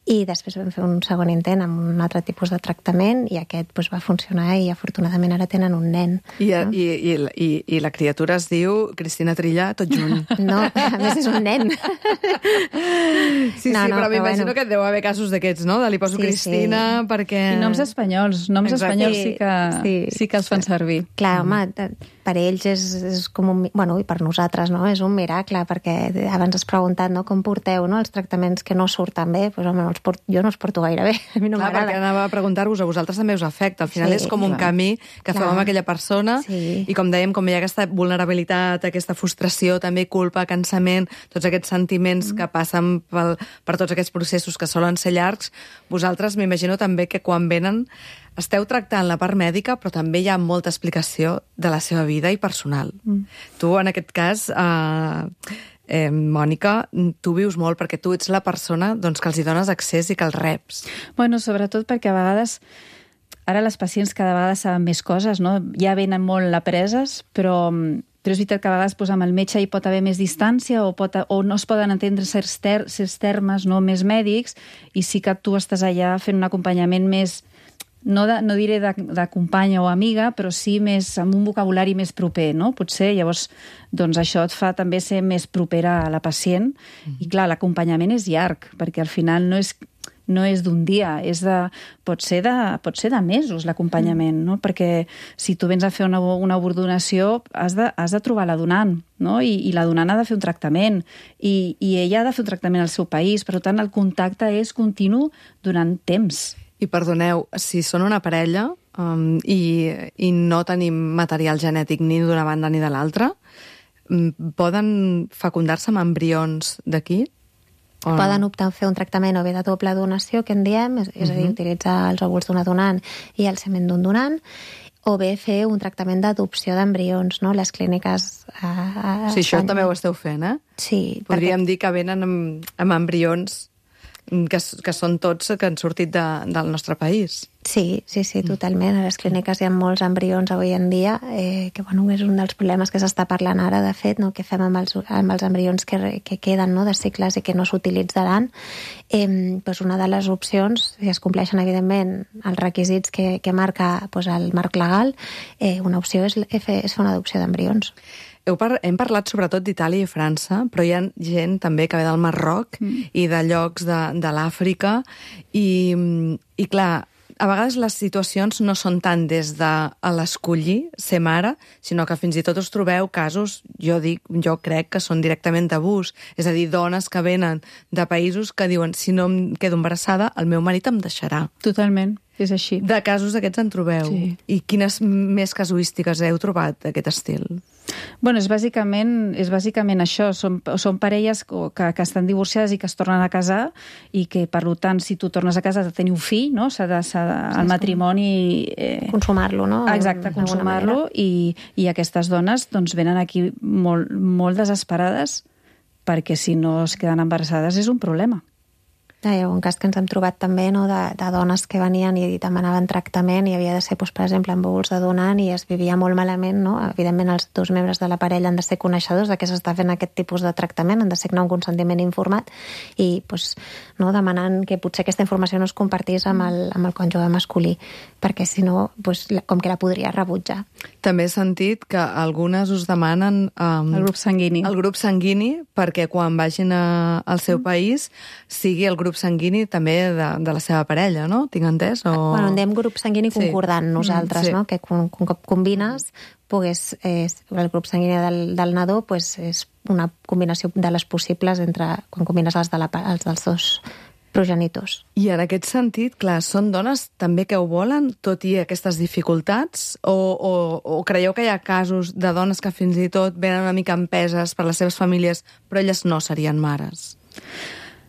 D: i després vam fer un segon intent amb un altre tipus de tractament i aquest va funcionar i afortunadament ara tenen un nen.
A: I la criatura es diu Cristina Trilla tot junt.
D: No, a més és un nen.
A: Sí, però m'imagino que deu haver casos d'aquests, no? Li poso Cristina perquè...
E: I noms espanyols sí que els fan servir.
D: Clar, home, per ells és com un... Bueno, i per nosaltres, no? És un miracle, perquè abans has preguntat, no? Com porteu, no? Els tractaments que no surten bé, doncs, home, jo no els porto gaire bé. A mi no m'agrada.
A: Perquè anava a preguntar-vos, a vosaltres també us afecta. Al final és com un camí que feu amb aquella persona i com dèiem, com hi ha aquesta vulnerabilitat, aquesta frustració, també culpa, cansament, tots aquests sentiments que passen per tots aquests processos que solen ser llargs, vosaltres m'imagino també que quan venen esteu tractant la part mèdica, però també hi ha molta explicació de la seva vida i personal. Tu, en aquest cas, Mònica, tu vius molt perquè tu ets la persona que els hi dones accés i que els reps.
E: Bueno, sobretot perquè a vegades, ara les pacients cada vegada saben més coses, no? Ja venen molt apreses, però és veritat que a vegades amb el metge hi pot haver més distància o no es poden entendre certs termes més mèdics i sí que tu estàs allà fent un acompanyament més... No diré de companya o amiga, però sí més amb un vocabulari més proper, no? Potser, llavors, això et fa també ser més propera a la pacient. I clar, l'acompanyament és llarg, perquè al final no és d'un dia, pot ser de mesos l'acompanyament, no? Perquè si tu vens a fer una ordenació has de trobar la donant, no? I la donant ha de fer un tractament i ella ha de fer un tractament al seu país, per tant el contacte és continu durant temps.
A: I perdoneu, si són una parella i no tenim material genètic ni d'una banda ni de l'altra, poden fecundar-se amb embrions d'aquí?
D: Poden optar a fer un tractament o bé de doble donació, que en diem, és a dir, utilitzar els òvuls d'una donant i el semen d'un donant, o bé fer un tractament d'adopció d'embrions, no? Les clíniques...
A: Sí, això també ho esteu fent, eh?
D: Sí.
A: Podríem dir que venen amb embrions que són tots que han sortit del nostre país.
D: Sí, totalment. A les clíniques hi ha molts embrions avui en dia, que és un dels problemes que s'està parlant ara, de fet, no? Què fem amb els embrions que queden, no? De cicles i que no s'utilitzaran. Una de les opcions, si es compleixen, evidentment, els requisits que marca el marc legal, una opció és fer una adopció d'embrions.
A: Hem parlat sobretot d'Itàlia i França, però hi ha gent també que ve del Marroc i de llocs de l'Àfrica i clar, a vegades les situacions no són tant des de l'escollir ser mare, sinó que fins i tot us trobeu casos, jo crec que són directament d'abús. És a dir, dones que venen de països que diuen si no em quedo embarassada, el meu marit em deixarà.
E: Totalment, és així.
A: De casos aquests en trobeu.
E: Sí.
A: I quines més casuístiques heu trobat d'aquest estil?
E: Bueno, és bàsicament això. Són parelles que estan divorciades i que es tornen a casar i que, per tant, si tu tornes a casa has de tenir un fill, no? El matrimoni...
D: Consumar-lo, no?
E: Exacte, consumar-lo. I aquestes dones doncs, venen aquí molt, molt desesperades perquè si no es queden embarassades és un problema.
D: Hi ha un cas que ens hem trobat també, no, de dones que venien i demanaven tractament i havia de ser, doncs, per exemple, amb òvuls de donant i es vivia molt malament, no? Evidentment, els dos membres de la parella han de ser coneixedors de què s'està fent aquest tipus de tractament, han de signar un consentiment informat i doncs, no, demanant que potser aquesta informació no es compartís amb el cònjuge masculí, perquè si no, doncs, com que la podria rebutjar.
A: També he sentit que algunes us demanen
E: el grup sanguini.
A: El grup sanguini perquè quan vagin al seu país sigui el grup sanguini també de la seva parella, no? Tinc entès?
D: Bueno, en diem grup sanguini concordant nosaltres,
A: sí.
D: no? Que un cop combines, el grup sanguini del nadó és una combinació de les possibles quan combines els dels dos progenitors.
A: I en aquest sentit, clar, són dones també que ho volen, tot i aquestes dificultats? O creieu que hi ha casos de dones que fins i tot venen una mica empeses per les seves famílies, però elles no serien mares?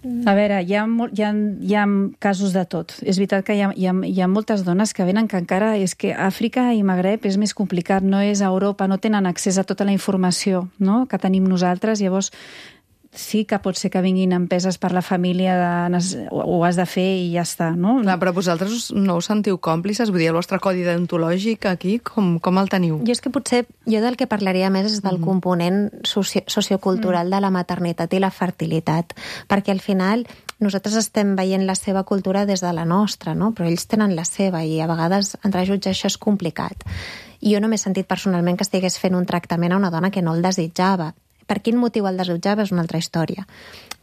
E: A veure, hi ha casos de tot. És veritat que hi ha moltes dones que venen que encara és que Àfrica i Magreb és més complicat, no és a Europa, no tenen accés a tota la informació, no?, que tenim nosaltres, llavors sí que pot ser que vinguin empeses per la família, ho has de fer i ja està, no?
A: Clar, però vosaltres no us sentiu còmplices? Vull dir, el vostre codi deontològic aquí, com el teniu?
D: Jo és que potser, del que parlaria més és del component sociocultural de la maternitat i la fertilitat, perquè al final nosaltres estem veient la seva cultura des de la nostra, no? Però ells tenen la seva i a vegades entrar a jutjar això és complicat. Jo no m'he sentit personalment que estigués fent un tractament a una dona que no el desitjava. Per quin motiu el desitjava és una altra història.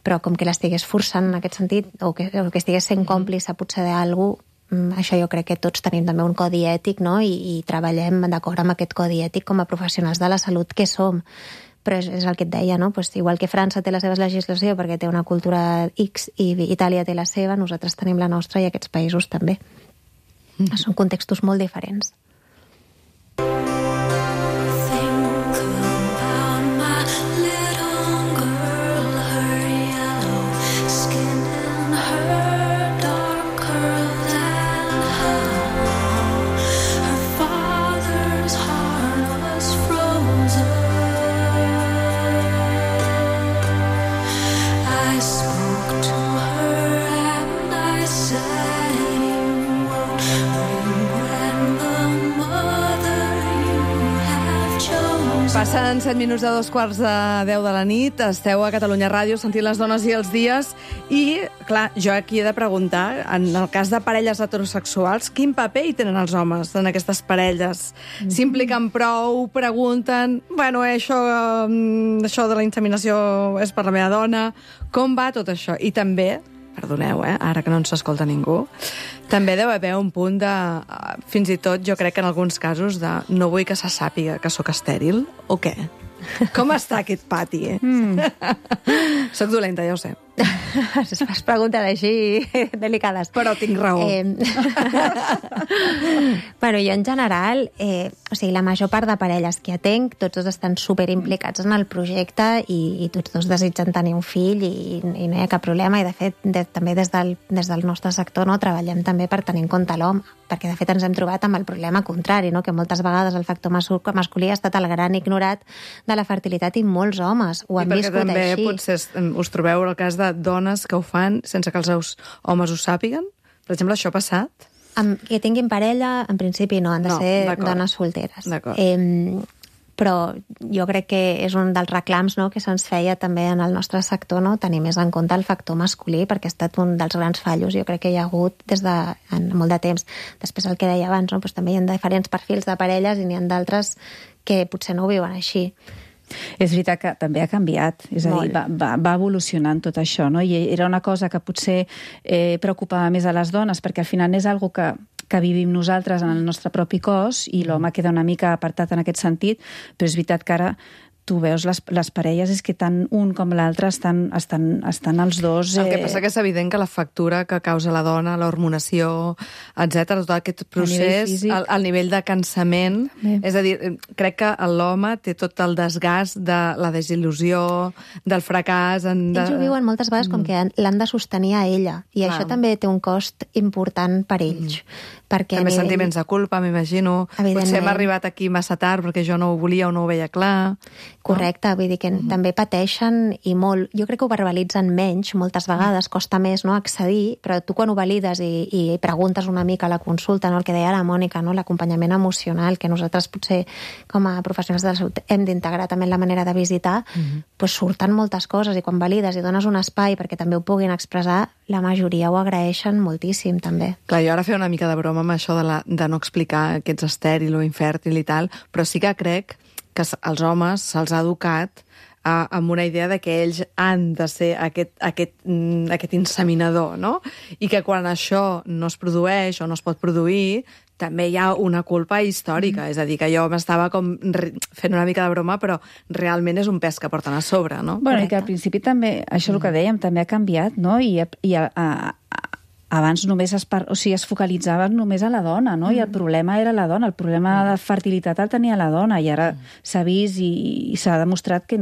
D: Però com que l'estigués forçant en aquest sentit, o que estigués sent còmplice potser d'algú, això jo crec que tots tenim també un codi ètic, no? I treballem d'acord amb aquest codi ètic com a professionals de la salut que som. Però és el que et deia, no? Pues igual que França té la seva legislació perquè té una cultura X i Itàlia té la seva, nosaltres tenim la nostra i aquests països també. Són contextos molt diferents.
A: Passen 7 minuts de 2:15 de la nit, esteu a Catalunya Ràdio sentint Les dones i els dies i, clar, jo aquí he de preguntar, en el cas de parelles heterosexuals, quin paper hi tenen els homes en aquestes parelles? S'impliquen prou, pregunten, bueno, això de la inseminació és per la meva dona, com va tot això? I també, perdoneu, ara que no ens escolta ningú, també deu haver un punt de, fins i tot jo crec que en alguns casos, de no vull que se sàpiga que sóc estèril, o què? Com està aquest pati? Soc dolenta, ja ho sé.
D: Es pregunten així delicades.
A: Però tinc raó.
D: Bueno, jo en general, la major part de parelles que atenc, tots dos estan superimplicats en el projecte i tots dos desitgen tenir un fill i no hi ha cap problema. I de fet, també des del nostre sector treballem també per tenir en compte l'home, perquè de fet ens hem trobat amb el problema contrari, no? Que moltes vegades el factor masculí ha estat el gran ignorat de la fertilitat i molts homes ho han viscut així. I perquè
A: també potser us trobeu el cas de dones que ho fan sense que els seus homes ho sàpiguen? Per exemple, això ha passat?
D: Que tinguin parella, en principi no, han de ser dones solteres. Però jo crec que és un dels reclams, no, que se'ns feia també en el nostre sector, no, tenir més en compte el factor masculí, perquè ha estat un dels grans fallos, jo crec que hi ha hagut des de molt de temps. Després el que deia abans, no, doncs també hi ha diferents perfils de parelles i n'hi ha d'altres que potser no ho viuen així.
E: És veritat que també ha canviat, és a dir, va evolucionant tot això, no? I era una cosa que potser preocupava més a les dones, perquè al final és algo que que vivim nosaltres en el nostre propi cos i l'home queda una mica apartat en aquest sentit, però és veritat que ara tu veus les parelles, és que tant un com l'altre estan els dos...
A: El que passa que és evident que la factura que causa la dona, l'hormonació, etc., tot aquest procés, el nivell de cansament, és a dir, crec que l'home té tot el desgast de la desil·lusió, del fracàs...
D: Ells ho viuen moltes vegades com que l'han de sostenir a ella, i això també té un cost important per ells.
A: També sentiments de culpa, m'imagino. Potser hem arribat aquí massa tard perquè jo no ho volia o no ho veia clar.
D: Correcte, vull dir que també pateixen i molt. Jo crec que ho verbalitzen menys, moltes vegades, costa més accedir, però tu quan ho valides i preguntes una mica a la consulta, el que deia la Mònica, l'acompanyament emocional, que nosaltres potser com a professionals de la salut hem d'integrar també en la manera de visitar, doncs surten moltes coses, i quan valides i dones un espai perquè també ho puguin expressar, la majoria ho agraeixen moltíssim, també.
A: Clar, jo ara feia una mica de broma amb això de no explicar que ets estèril o infèrtil i tal, però sí que crec que als homes se'ls ha educat amb una idea de que ells han de ser aquest inseminador, no? I que quan això no es produeix o no es pot produir, també hi ha una culpa històrica. És a dir, que jo m'estava com fent una mica de broma, però realment és un pes que porten a sobre, no?
E: Bueno, i que al principi també, això és el que dèiem, també ha canviat, no? I abans només es focalitzaven només a la dona, no? I el problema era la dona, el problema de fertilitat el tenia la dona, i ara s'ha vist i s'ha demostrat que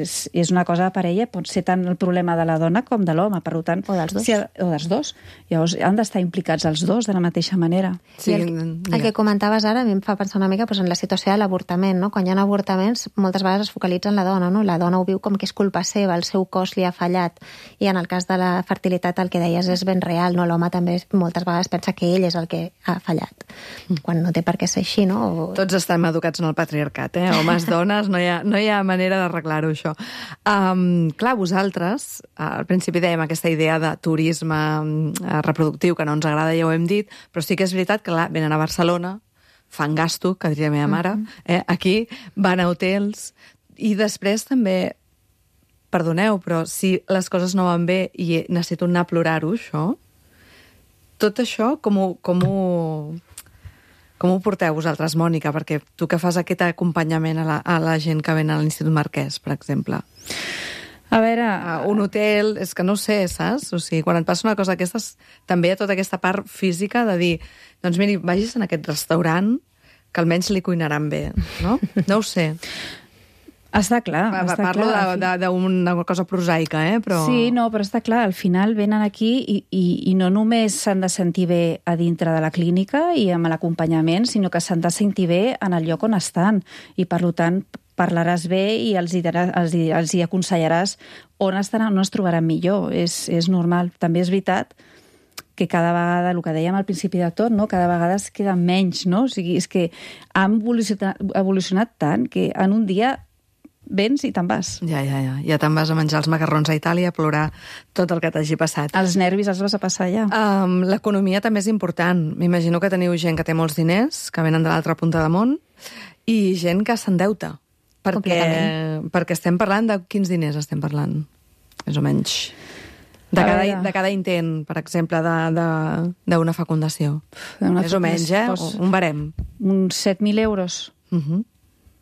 E: és una cosa de parella, pot ser tant el problema de la dona com de l'home, per tant...
D: O dels dos.
E: O dels dos. Llavors han d'estar implicats els dos de la mateixa manera.
D: Sí, el que comentaves ara a mi em fa pensar una mica en la situació de l'avortament, no? Quan hi ha avortaments, moltes vegades es focalitza en la dona, no? La dona ho viu com que és culpa seva, el seu cos li ha fallat, i en el cas de la fertilitat el que deies és ben real, no? L'home també moltes vegades pensa que ell és el que ha fallat, quan no té per què ser així, no?
A: Tots estem educats en el patriarcat, homes, dones, no hi ha manera d'arreglar-ho, això. Clar, vosaltres, al principi dèiem aquesta idea de turisme reproductiu que no ens agrada, ja ho hem dit, però sí que és veritat que venen a Barcelona, fan gasto, que diria la meva mare, aquí, van a hotels, i després també, perdoneu, però si les coses no van bé i necessito anar a plorar-ho, això, tot això, com ho porteu vosaltres, Mònica? Perquè tu que fas aquest acompanyament a la gent que ven a l'Institut Marquès, per exemple.
E: A veure...
A: Un hotel, és que no ho sé, saps? O sigui, quan et passa una cosa d'aquestes, també hi ha tota aquesta part física de dir, doncs miri, vagis en aquest restaurant que almenys li cuinaran bé, no? No ho sé.
E: Està clar.
A: Parlo d'una cosa prosaica, però...
E: Sí, no, però està clar, al final venen aquí i no només s'han de sentir bé a dintre de la clínica i amb l'acompanyament, sinó que s'han de sentir bé en el lloc on estan. I, per tant, parlaràs bé i els hi aconsellaràs on estaran, on es trobaran millor. És normal. També és veritat que cada vegada, el que dèiem al principi de tot, no? Cada vegada es queda menys, no? O sigui, és que han evolucionat tant que en un dia vens i te'n vas.
A: Ja te'n vas a menjar els macarrons a Itàlia, a plorar tot el que t'hagi passat.
E: Els nervis els vas a passar ja.
A: L'economia també és important. M'imagino que teniu gent que té molts diners, que venen de l'altra punta de món, i gent que s'endeuta. Perquè estem parlant de quins diners estem parlant, més o menys. De cada intent, per exemple, d'una fecundació. Més o menys, un barem.
E: Uns 7.000 euros.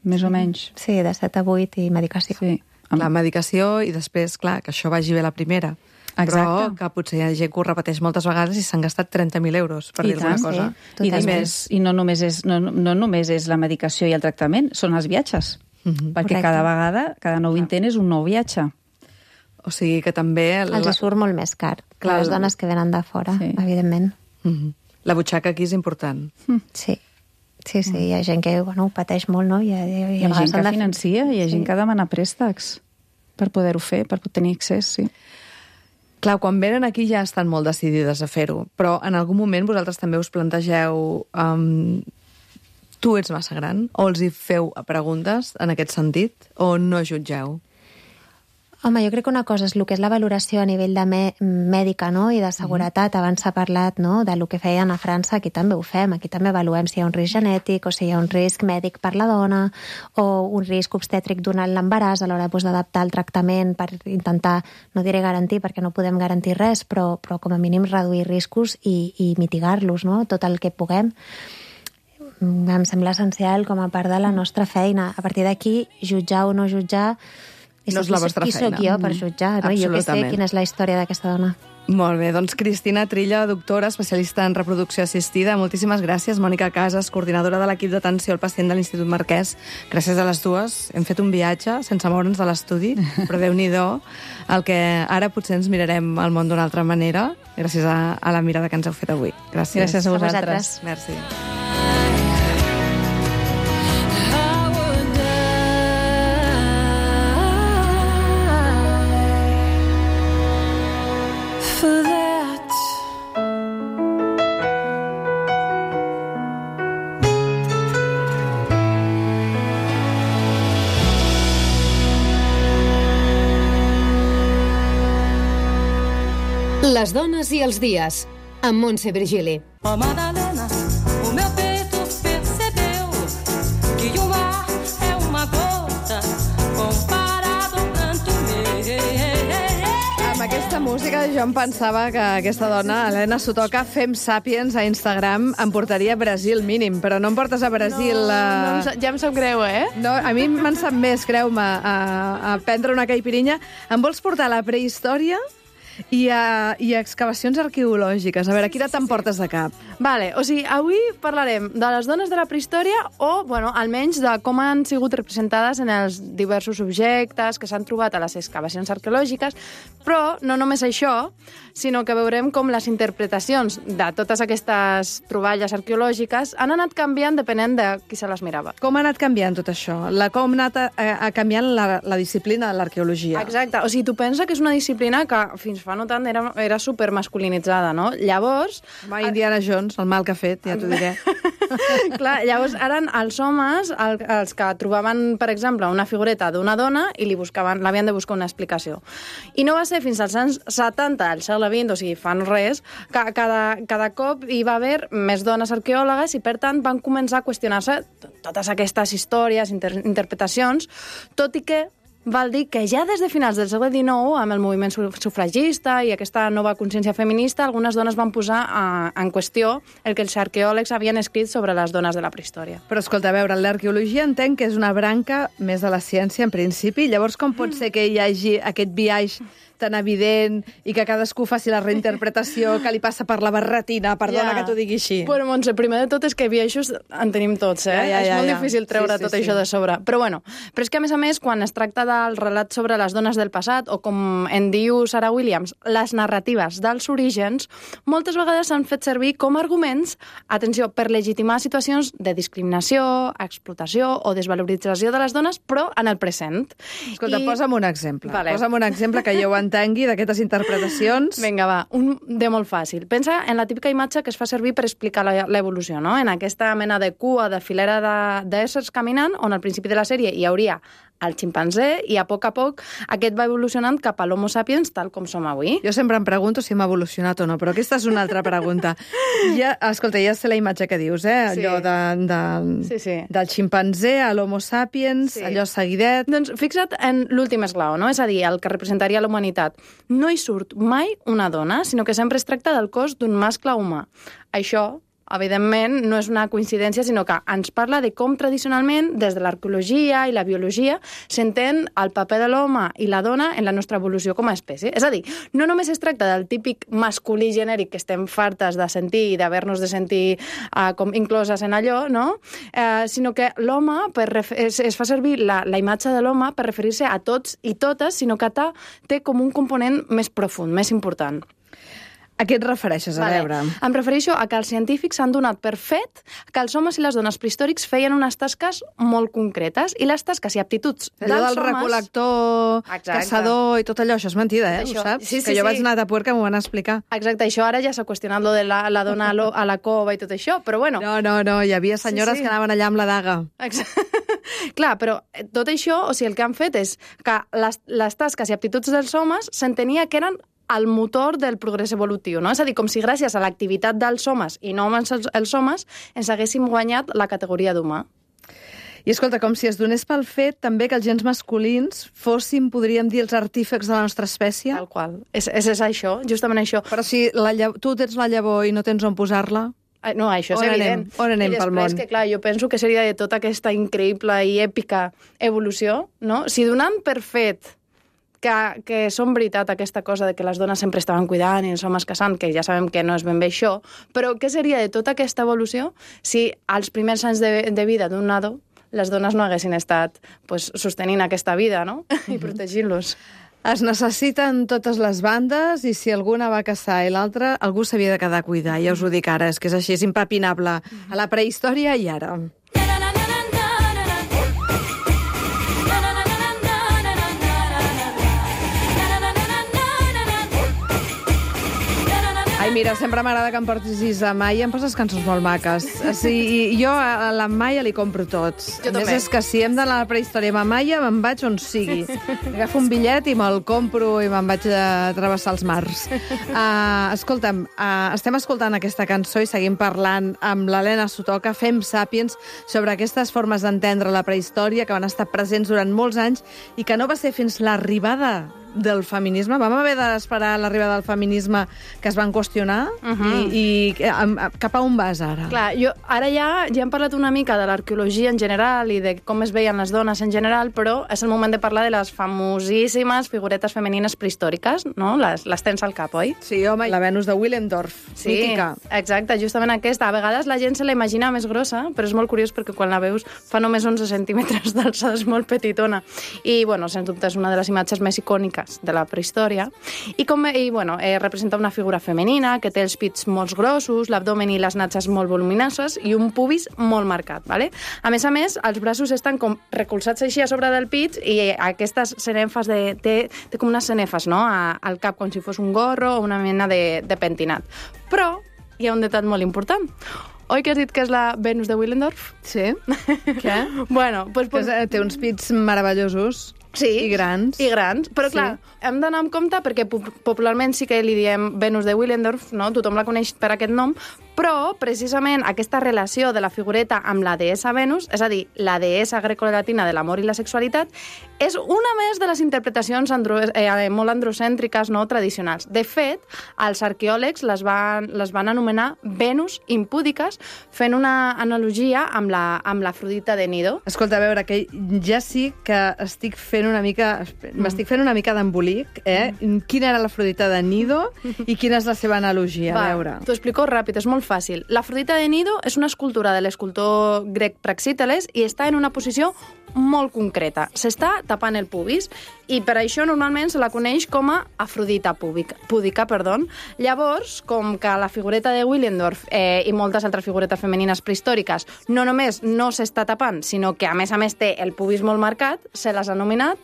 E: Més o menys.
D: Sí, de 7 a 8 i medicació.
E: Sí.
A: La medicació i després, clar, que això vagi bé la primera.
E: Exacte.
A: Però que potser hi ha gent que ho repeteix moltes vegades i s'han gastat 30.000 euros, per dir alguna cosa.
E: I no només és la medicació i el tractament, són els viatges. Perquè cada vegada, cada nou intent és un nou viatge.
A: O sigui que també...
D: Els surt molt més car. Les dones que venen de fora, evidentment.
A: La butxaca aquí és important.
D: Sí. Sí, hi ha gent que ho pateix molt, no?
E: Hi ha gent que financia, hi ha gent que demana préstecs per poder-ho fer, per tenir accés, sí.
A: Clar, quan venen aquí ja estan molt decidides a fer-ho, però en algun moment vosaltres també us plantegeu tu ets massa gran? O els hi feu preguntes en aquest sentit? O no jutgeu?
D: Home, jo crec que una cosa és el que és la valoració a nivell de mèdica, no?, i de seguretat. Abans s'ha parlat, no?, del que feien a França. Aquí també ho fem. Aquí també avaluem si hi ha un risc genètic o si hi ha un risc mèdic per la dona o un risc obstètric durant l'embaràs a l'hora d'adaptar el tractament per intentar, no diré garantir, perquè no podem garantir res, però com a mínim reduir riscos i mitigar-los, no?, tot el que puguem. Em sembla essencial com a part de la nostra feina. A partir d'aquí, jutjar o no jutjar...
A: No és la vostra feina.
D: Qui sóc jo per jutjar? No? Jo que sé quina és la història d'aquesta dona.
A: Molt bé, doncs Cristina Trilla, doctora, especialista en reproducció assistida. Moltíssimes gràcies. Mònica Casas, coordinadora de l'equip d'atenció al pacient de l'Institut Marquès. Gràcies a les dues. Hem fet un viatge sense moure'ns de l'estudi, però Déu-n'hi-do el que ara potser ens mirarem el món d'una altra manera, gràcies a la mirada que ens heu fet avui. Gràcies.
E: Gràcies a vosaltres.
A: Merci.
I: Les dones i els dies, amb Montse Virgili.
G: Ó Madalena, o meu peito percebeu que o mar é uma gota comparado ao pranto meu.
A: Amb aquesta música jo em pensava que aquesta dona, Helena Sotoca, Fem Sàpiens a Instagram, em portaria a Brasil mínim, però no em portes a Brasil...
J: Ja em sap greu, eh?
A: No, a mi me'n sap més, creu-me, a prendre una caipirinha. Em vols portar a la prehistòria i a excavacions arqueològiques? A veure, quina t'emportes de cap?
J: Vale, o sigui, avui parlarem de les dones de la prehistòria o, bueno, almenys de com han sigut representades en els diversos objectes que s'han trobat a les excavacions arqueològiques, però no només això, sinó que veurem com les interpretacions de totes aquestes troballes arqueològiques han anat canviant depenent de qui se les mirava.
A: Com ha anat canviant tot això? Com ha anat canviant la disciplina de l'arqueologia?
J: Exacte, o sigui, tu pensa que és una disciplina que fins fa no tant era supermasculinitzada, no? Llavors...
A: Home, Indiana Jones, el mal que ha fet, ja t'ho diré.
J: Clar, llavors eren els homes els que trobaven, per exemple, una figureta d'una dona i l'havien de buscar una explicació. I no va ser fins als anys 70 del segle XX, o sigui, fa no res, que cada cop hi va haver més dones arqueòlogues i, per tant, van començar a qüestionar-se totes aquestes històries, interpretacions, tot i que val dir que ja des de finals del segle XIX, amb el moviment sufragista i aquesta nova consciència feminista, algunes dones van posar en qüestió el que els arqueòlegs havien escrit sobre les dones de la prehistòria.
A: Però, escolta, a veure, l'arqueologia entenc que és una branca més de la ciència, en principi. Llavors, com pot ser que hi hagi aquest biaix tan evident i que cadascú faci la reinterpretació que li passa per la barretina? Perdona que t'ho digui així.
J: Bueno, Montse, primer de tot és que biaixos en tenim tots, eh? És molt difícil treure tot això de sobre. Però bueno, però és que a més, quan es tracta del relat sobre les dones del passat, o com en diu Sarah Williams, les narratives dels orígens, moltes vegades s'han fet servir com a arguments, atenció, per legitimar situacions de discriminació, explotació o desvalorització de les dones, però en el present.
A: Escolta, posa'm un exemple.
J: Vale.
A: Posa'm un exemple que jo ho entengui d'aquestes interpretacions.
J: Vinga, va, un de molt fàcil. Pensa en la típica imatge que es fa servir per explicar l'evolució, no? En aquesta mena de cua, de filera d'éssers caminant, on al principi de la sèrie hi hauria el ximpanzé i a poc aquest va evolucionant cap a l'Homo sapiens tal com som avui.
A: Jo sempre em pregunto si hem evolucionat o no, però aquesta és una altra pregunta. Escolta, ja sé la imatge que dius, eh?
J: Sí.
A: Allò del ximpanzé a l'Homo sapiens,
J: Sí.
A: allò seguidet.
J: Doncs fixa't en l'últim esglau, no? És a dir, el que representaria la humanitat. No hi surt mai una dona, sinó que sempre es tracta del cos d'un mascle humà. Això, evidentment, no és una coincidència, sinó que ens parla de com tradicionalment, des de l'arqueologia i la biologia, s'entén el paper de l'home i la dona en la nostra evolució com a espècie. És a dir, no només es tracta del típic masculí genèric que estem fartes de sentir i d'haver-nos de sentir com incloses en allò, no? Sinó que l'home, es fa servir la imatge de l'home per referir-se a tots i totes, sinó que té com un component més profund, més important.
A: A què et refereixes, a veure?
J: Em refereixo a que els científics s'han donat per fet que els homes i les dones prehistòrics feien unes tasques molt concretes, i les tasques i aptituds dels homes...
A: Del recol·lector, caçador i tot allò, això és mentida, ho saps?
J: Sí,
A: que jo vaig anar a Tapuerca, m'ho van explicar.
J: Exacte, això ara ja s'ha qüestionat lo de la dona a la cova i tot això, però bueno...
A: No, hi havia senyores que anaven allà amb la daga.
J: Clar, però tot això, o sigui, el que han fet és que les tasques i aptituds dels homes s'entenia que eren el motor del progrés evolutiu, no? És a dir, com si gràcies a l'activitat dels homes i no els homes ens haguéssim guanyat la categoria d'humà.
A: I escolta, com si es donés pel fet també que els gens masculins fossin, podríem dir, els artífecs de la nostra espècie?
J: Tal qual. És això, justament això.
A: Però si tu tens la llavor i no tens on posar-la...
J: No, això és evident.
A: On anem pel món?
J: I després, que clar, jo penso que seria de tota aquesta increïble i èpica evolució, no? Si donant per fet que són veritat aquesta cosa de que les dones sempre estaven cuidant i els homes caçant, que ja sabem que no és ben bé això, però què seria de tota aquesta evolució si als primers anys de vida d'un nadó les dones no haguessin estat sostenint aquesta vida, no? I protegint-los.
A: Es necessiten totes les bandes i si alguna va caçar i l'altra, algú s'havia de quedar a cuidar. Ja us ho dic ara, és que és així, és impepinable. A la prehistòria i ara. Ai, mira, sempre m'agrada que em portis a Maia, em poses cançons molt maques. Sí, jo a la Maia li compro tots.
J: Jo
A: a més, és que si hem d'anar a la prehistòria amb Maia, me'n vaig on sigui. Agafo un bitllet i me'l compro i me'n vaig a travessar els mars. Escolta'm, estem escoltant aquesta cançó i seguim parlant amb l'Helena Sotoca, Fem Sàpiens, sobre aquestes formes d'entendre la prehistòria que van estar presents durant molts anys i que no va ser fins l'arribada del feminisme. Vam haver d'esperar l'arribada del feminisme que es van qüestionar i cap a on vas ara?
J: Clar, ara ja hem parlat una mica de l'arqueologia en general i de com es veien les dones en general, però és el moment de parlar de les famosíssimes figuretes femenines prehistòriques, no? Les tens al cap, oi?
A: Sí, home, la Venus de Willendorf, mítica.
J: Exacte, justament aquesta. A vegades la gent se la imagina més grossa, però és molt curiós perquè quan la veus fa només 11 centímetres d'alçada, és molt petitona. I, bueno, sens dubte és una de les imatges més icòniques de la prehistòria, representa una figura femenina que té els pits molt grossos, l'abdomen i les natges molt voluminoses i un pubis molt marcat, ¿vale? A més, els braços estan com recolzats així a sobre del pit i aquestes cenefes té com unes cenefes, no?, al cap, com si fos un gorro o una mena de pentinat. Però hi ha un detall molt important. Oi que has dit que és la Venus de Willendorf?
A: Sí. Què?
J: Bueno,
A: té uns pits meravellosos.
J: Sí,
A: i grans.
J: Però clar, hem d'anar amb compte perquè popularment sí que li diem Venus de Willendorf, no? Tothom la coneix per aquest nom, però precisament aquesta relació de la figureta amb la deessa Venus, és a dir, la deessa grecolatina de l'amor i la sexualitat, és una més de les interpretacions molt androcèntriques, no, tradicionals. De fet, els arqueòlegs les van anomenar Venus impúdiques, fent una analogia amb l'Afrodita de Nido.
A: Escolta, a veure, que ja sí que m'estic fent una mica d'embolic, Quina era l'Afrodita de Nido i quina és la seva analogia? A veure.
J: T'ho explico ràpid, és molt fàcil. L'Afrodita de Nido és una escultura de l'escultor grec Praxíteles i està en una posició molt concreta. S'està tapant el pubis i per això normalment se la coneix com a Afrodita púdica. Llavors, com que la figureta de Willendorf i moltes altres figuretes femenines prehistòriques no només no s'està tapant, sinó que a més té el pubis molt marcat, se les ha anomenat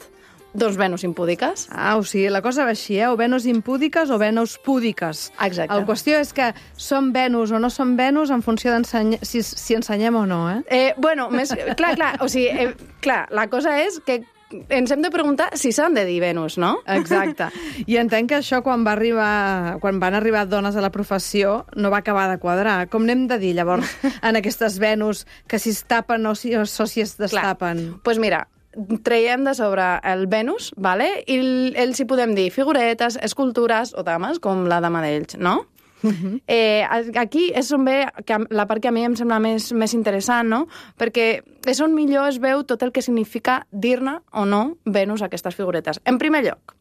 J: Venus impúdiques.
A: O sigui, la cosa va així, o Venus impúdiques o Venus púdiques.
J: Exacte.
A: La qüestió és que són Venus o no són Venus en funció si ensenyem o no,
J: Clar, o sigui, la cosa és que ens hem de preguntar si s'han de dir Venus, no?
A: Exacte. I entenc que això, quan van arribar dones a la professió, no va acabar de quadrar. Com n'hem de dir, llavors, en aquestes Venus, que si es tapen o si es destapen?
J: Doncs mira, traiem de sobre el Venus, ¿vale? I ells hi podem dir figuretes, escultures o dames, com la dama d'ells, no? Aquí és on ve la part que a mi em sembla més interessant, no? Perquè és on millor es veu tot el que significa dir-ne o no Venus a aquestes figuretes. En primer lloc,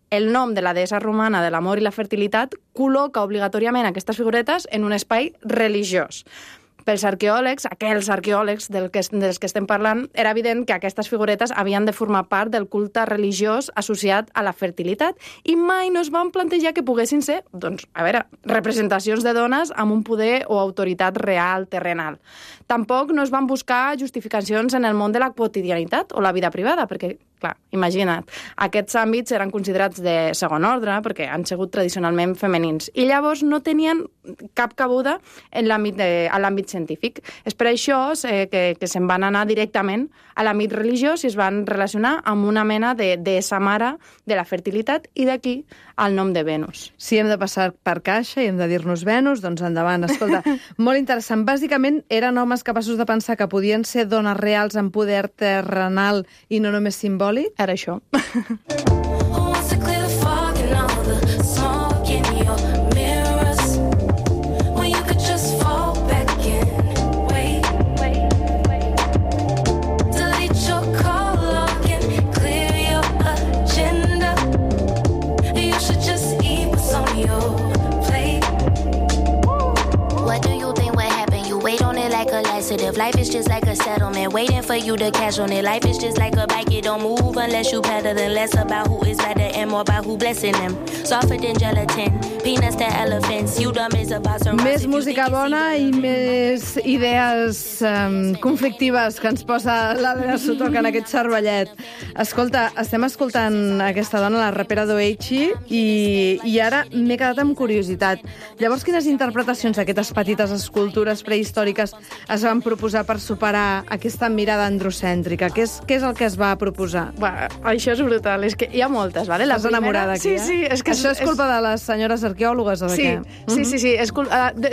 J: el nom de la deessa romana de l'amor i la fertilitat col·loca obligatòriament aquestes figuretes en un espai religiós. Pels arqueòlegs, aquells arqueòlegs dels que estem parlant, era evident que aquestes figuretes havien de formar part del culte religiós associat a la fertilitat i mai no es van plantejar que poguessin ser, doncs, a veure, representacions de dones amb un poder o autoritat real, terrenal. Tampoc no es van buscar justificacions en el món de la quotidianitat o la vida privada, perquè, clar, imagina't, aquests àmbits eren considerats de segon ordre perquè han sigut tradicionalment femenins i llavors no tenien cap cabuda en l'àmbit científic. És per això que se'n van anar directament a l'àmbit religiós i es van relacionar amb una mena de deessa mare de la fertilitat i d'aquí el nom de Venus.
A: Si hem de passar per caixa i hem de dir-nos Venus, doncs endavant. Escolta, molt interessant. Bàsicament eren homes capaços de pensar que podien ser dones reals amb poder terrenal i no només simbòlic?
J: Era això.
K: Life is just like a settlement, waiting for you to cash on it. Life is just like a bike, it don't move unless you pedal. And less about who is better and more about who blessing them. Softer than gelatin, peanuts to elephants. You dumb is about some.
A: Més música bona i més idees conflictives que ens posa l'Helena Sutoca en aquest cervellet. Escolta, estem escoltant aquesta dona, la rapera Doechi, i ara m'he quedat amb curiositat. Llavors, quines interpretacions d'aquestes petites escultures prehistòriques es van proposar per superar aquesta mirada androcèntrica? Què és el que es va proposar?
J: Això és brutal, és que hi ha moltes, ¿vale?
A: Estàs enamorada aquí,
J: sí, és que
A: això és culpa de les senyores arqueòlogues o de què?
J: Sí.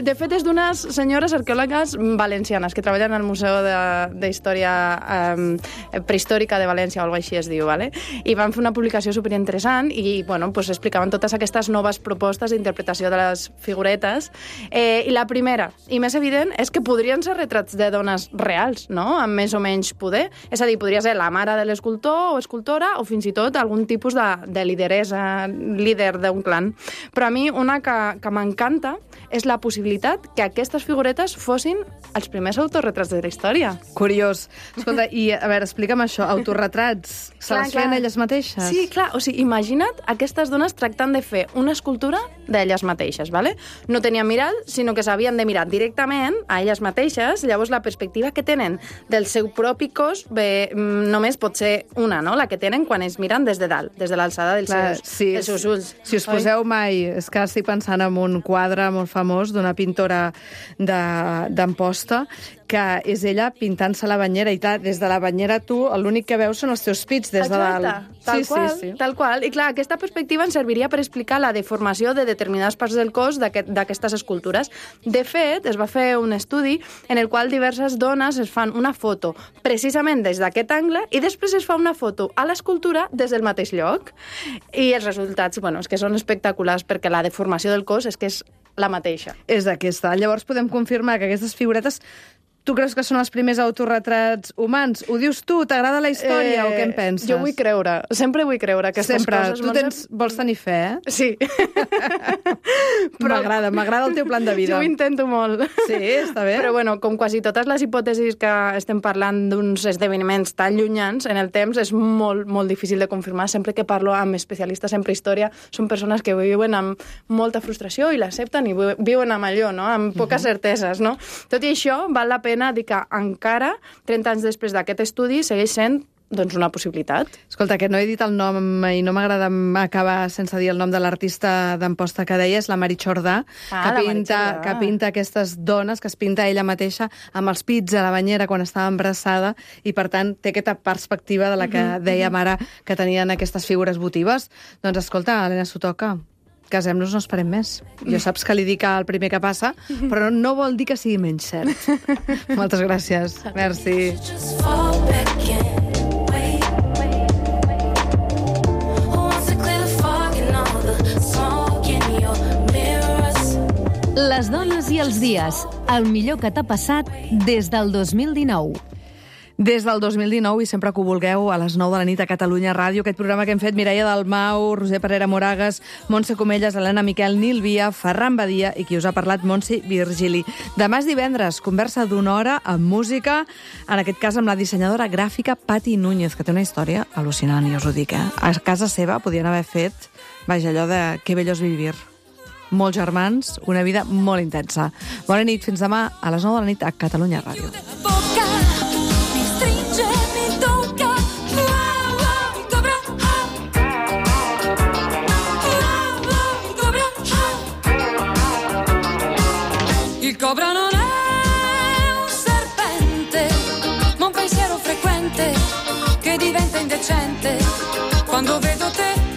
J: De fet, és d'unes senyores arqueòlogues valencianes que treballen al Museu d'Història Prehistòrica de València o alguna així es diu, ¿vale? I van fer una publicació superinteressant i, bueno, pues explicaven totes aquestes noves propostes d'interpretació de les figuretes. I la primera, i més evident, és que podrien ser retrats de dones reals, no?, amb més o menys poder. És a dir, podria ser la mare de l'escultor o escultora o fins i tot algun tipus de lideressa, líder d'un clan. Però a mi una que m'encanta és la possibilitat que aquestes figuretes fossin els primers autorretrats de la història.
A: Curiós. Escolta, i a veure, explica'm això, autorretrats, se les feien elles mateixes?
J: Sí, clar, o sigui, imagina't aquestes dones tractant de fer una escultura d'elles mateixes, ¿vale? No tenien mirall, sinó que s'havien de mirar directament a elles mateixes, llavors la perspectiva que tenen del seu propi cos només pot ser una, no?, la que tenen quan es miren des de dalt, des de l'alçada dels seus ulls.
A: Si us poseu mai, és que estic pensant en un quadre molt famós d'una pintora d'Amposta, que és ella pintant-se la banyera, i des de la banyera tu l'únic que veus són els teus pits des de dalt.
J: Tal qual. I clar, aquesta perspectiva ens serviria per explicar la deformació de determinades parts del cos d'aquestes escultures. De fet, es va fer un estudi en el qual diverses dones es fan una foto precisament des d'aquest angle i després es fa una foto a l'escultura des del mateix lloc. I els resultats, bueno, és que són espectaculars perquè la deformació del cos és que és la mateixa.
A: És aquesta. Llavors podem confirmar que aquestes figuretes, tu creus que són els primers autorretrats humans? Ho dius tu? T'agrada la història o què en penses?
J: Jo vull creure. Sempre vull creure aquestes coses.
A: Tu vols tenir fe, eh?
J: Sí.
A: M'agrada el teu plan de vida.
J: Jo ho intento molt.
A: Sí, està bé.
J: Però, bueno, com quasi totes les hipòtesis que estem parlant d'uns esdeveniments tan llunyans en el temps, és molt, molt difícil de confirmar. Sempre que parlo amb especialistes en prehistòria, són persones que viuen amb molta frustració i l'accepten i viuen amb allò, no?, amb poques certeses, no? Tot i això, val la pena dir que encara, 30 anys després d'aquest estudi, segueix sent doncs una possibilitat.
A: Escolta, que no he dit el nom i no m'agrada acabar sense dir el nom de l'artista d'Amposta que deies, la Mari Jordà, que pinta aquestes dones, que es pinta ella mateixa amb els pits a la banyera quan estava embarassada i, per tant, té aquesta perspectiva de la que dèiem ara que tenien aquestes figures votives. Doncs, escolta, Helena Sutoca, casem-nos, no esperem més. Jo saps que li dic el primer que passa, però no vol dir que sigui menys cert. Moltes gràcies. Merci.
I: Les dones i els dies. El millor que t'ha passat des del 2019.
A: Des del 2019, i sempre que ho vulgueu, a les 9 de la nit a Catalunya Ràdio, aquest programa que hem fet Mireia Dalmau, Roser Parera Moragas, Montse Comelles, Helena Miquel, Nil Via, Ferran Badia i qui us ha parlat, Montse Virgili. Demà és divendres, conversa d'una hora amb música, en aquest cas amb la dissenyadora gràfica Pati Núñez, que té una història al·lucinant, i us ho dic, A casa seva podien haver fet, vaja, allò de que bello és vivir. Molts germans, una vida molt intensa. Bona nit, fins demà a les 9 de la nit a Catalunya Ràdio.
L: Il cobra non è un serpente, ma un pensiero frequente che diventa indecente quando vedo te.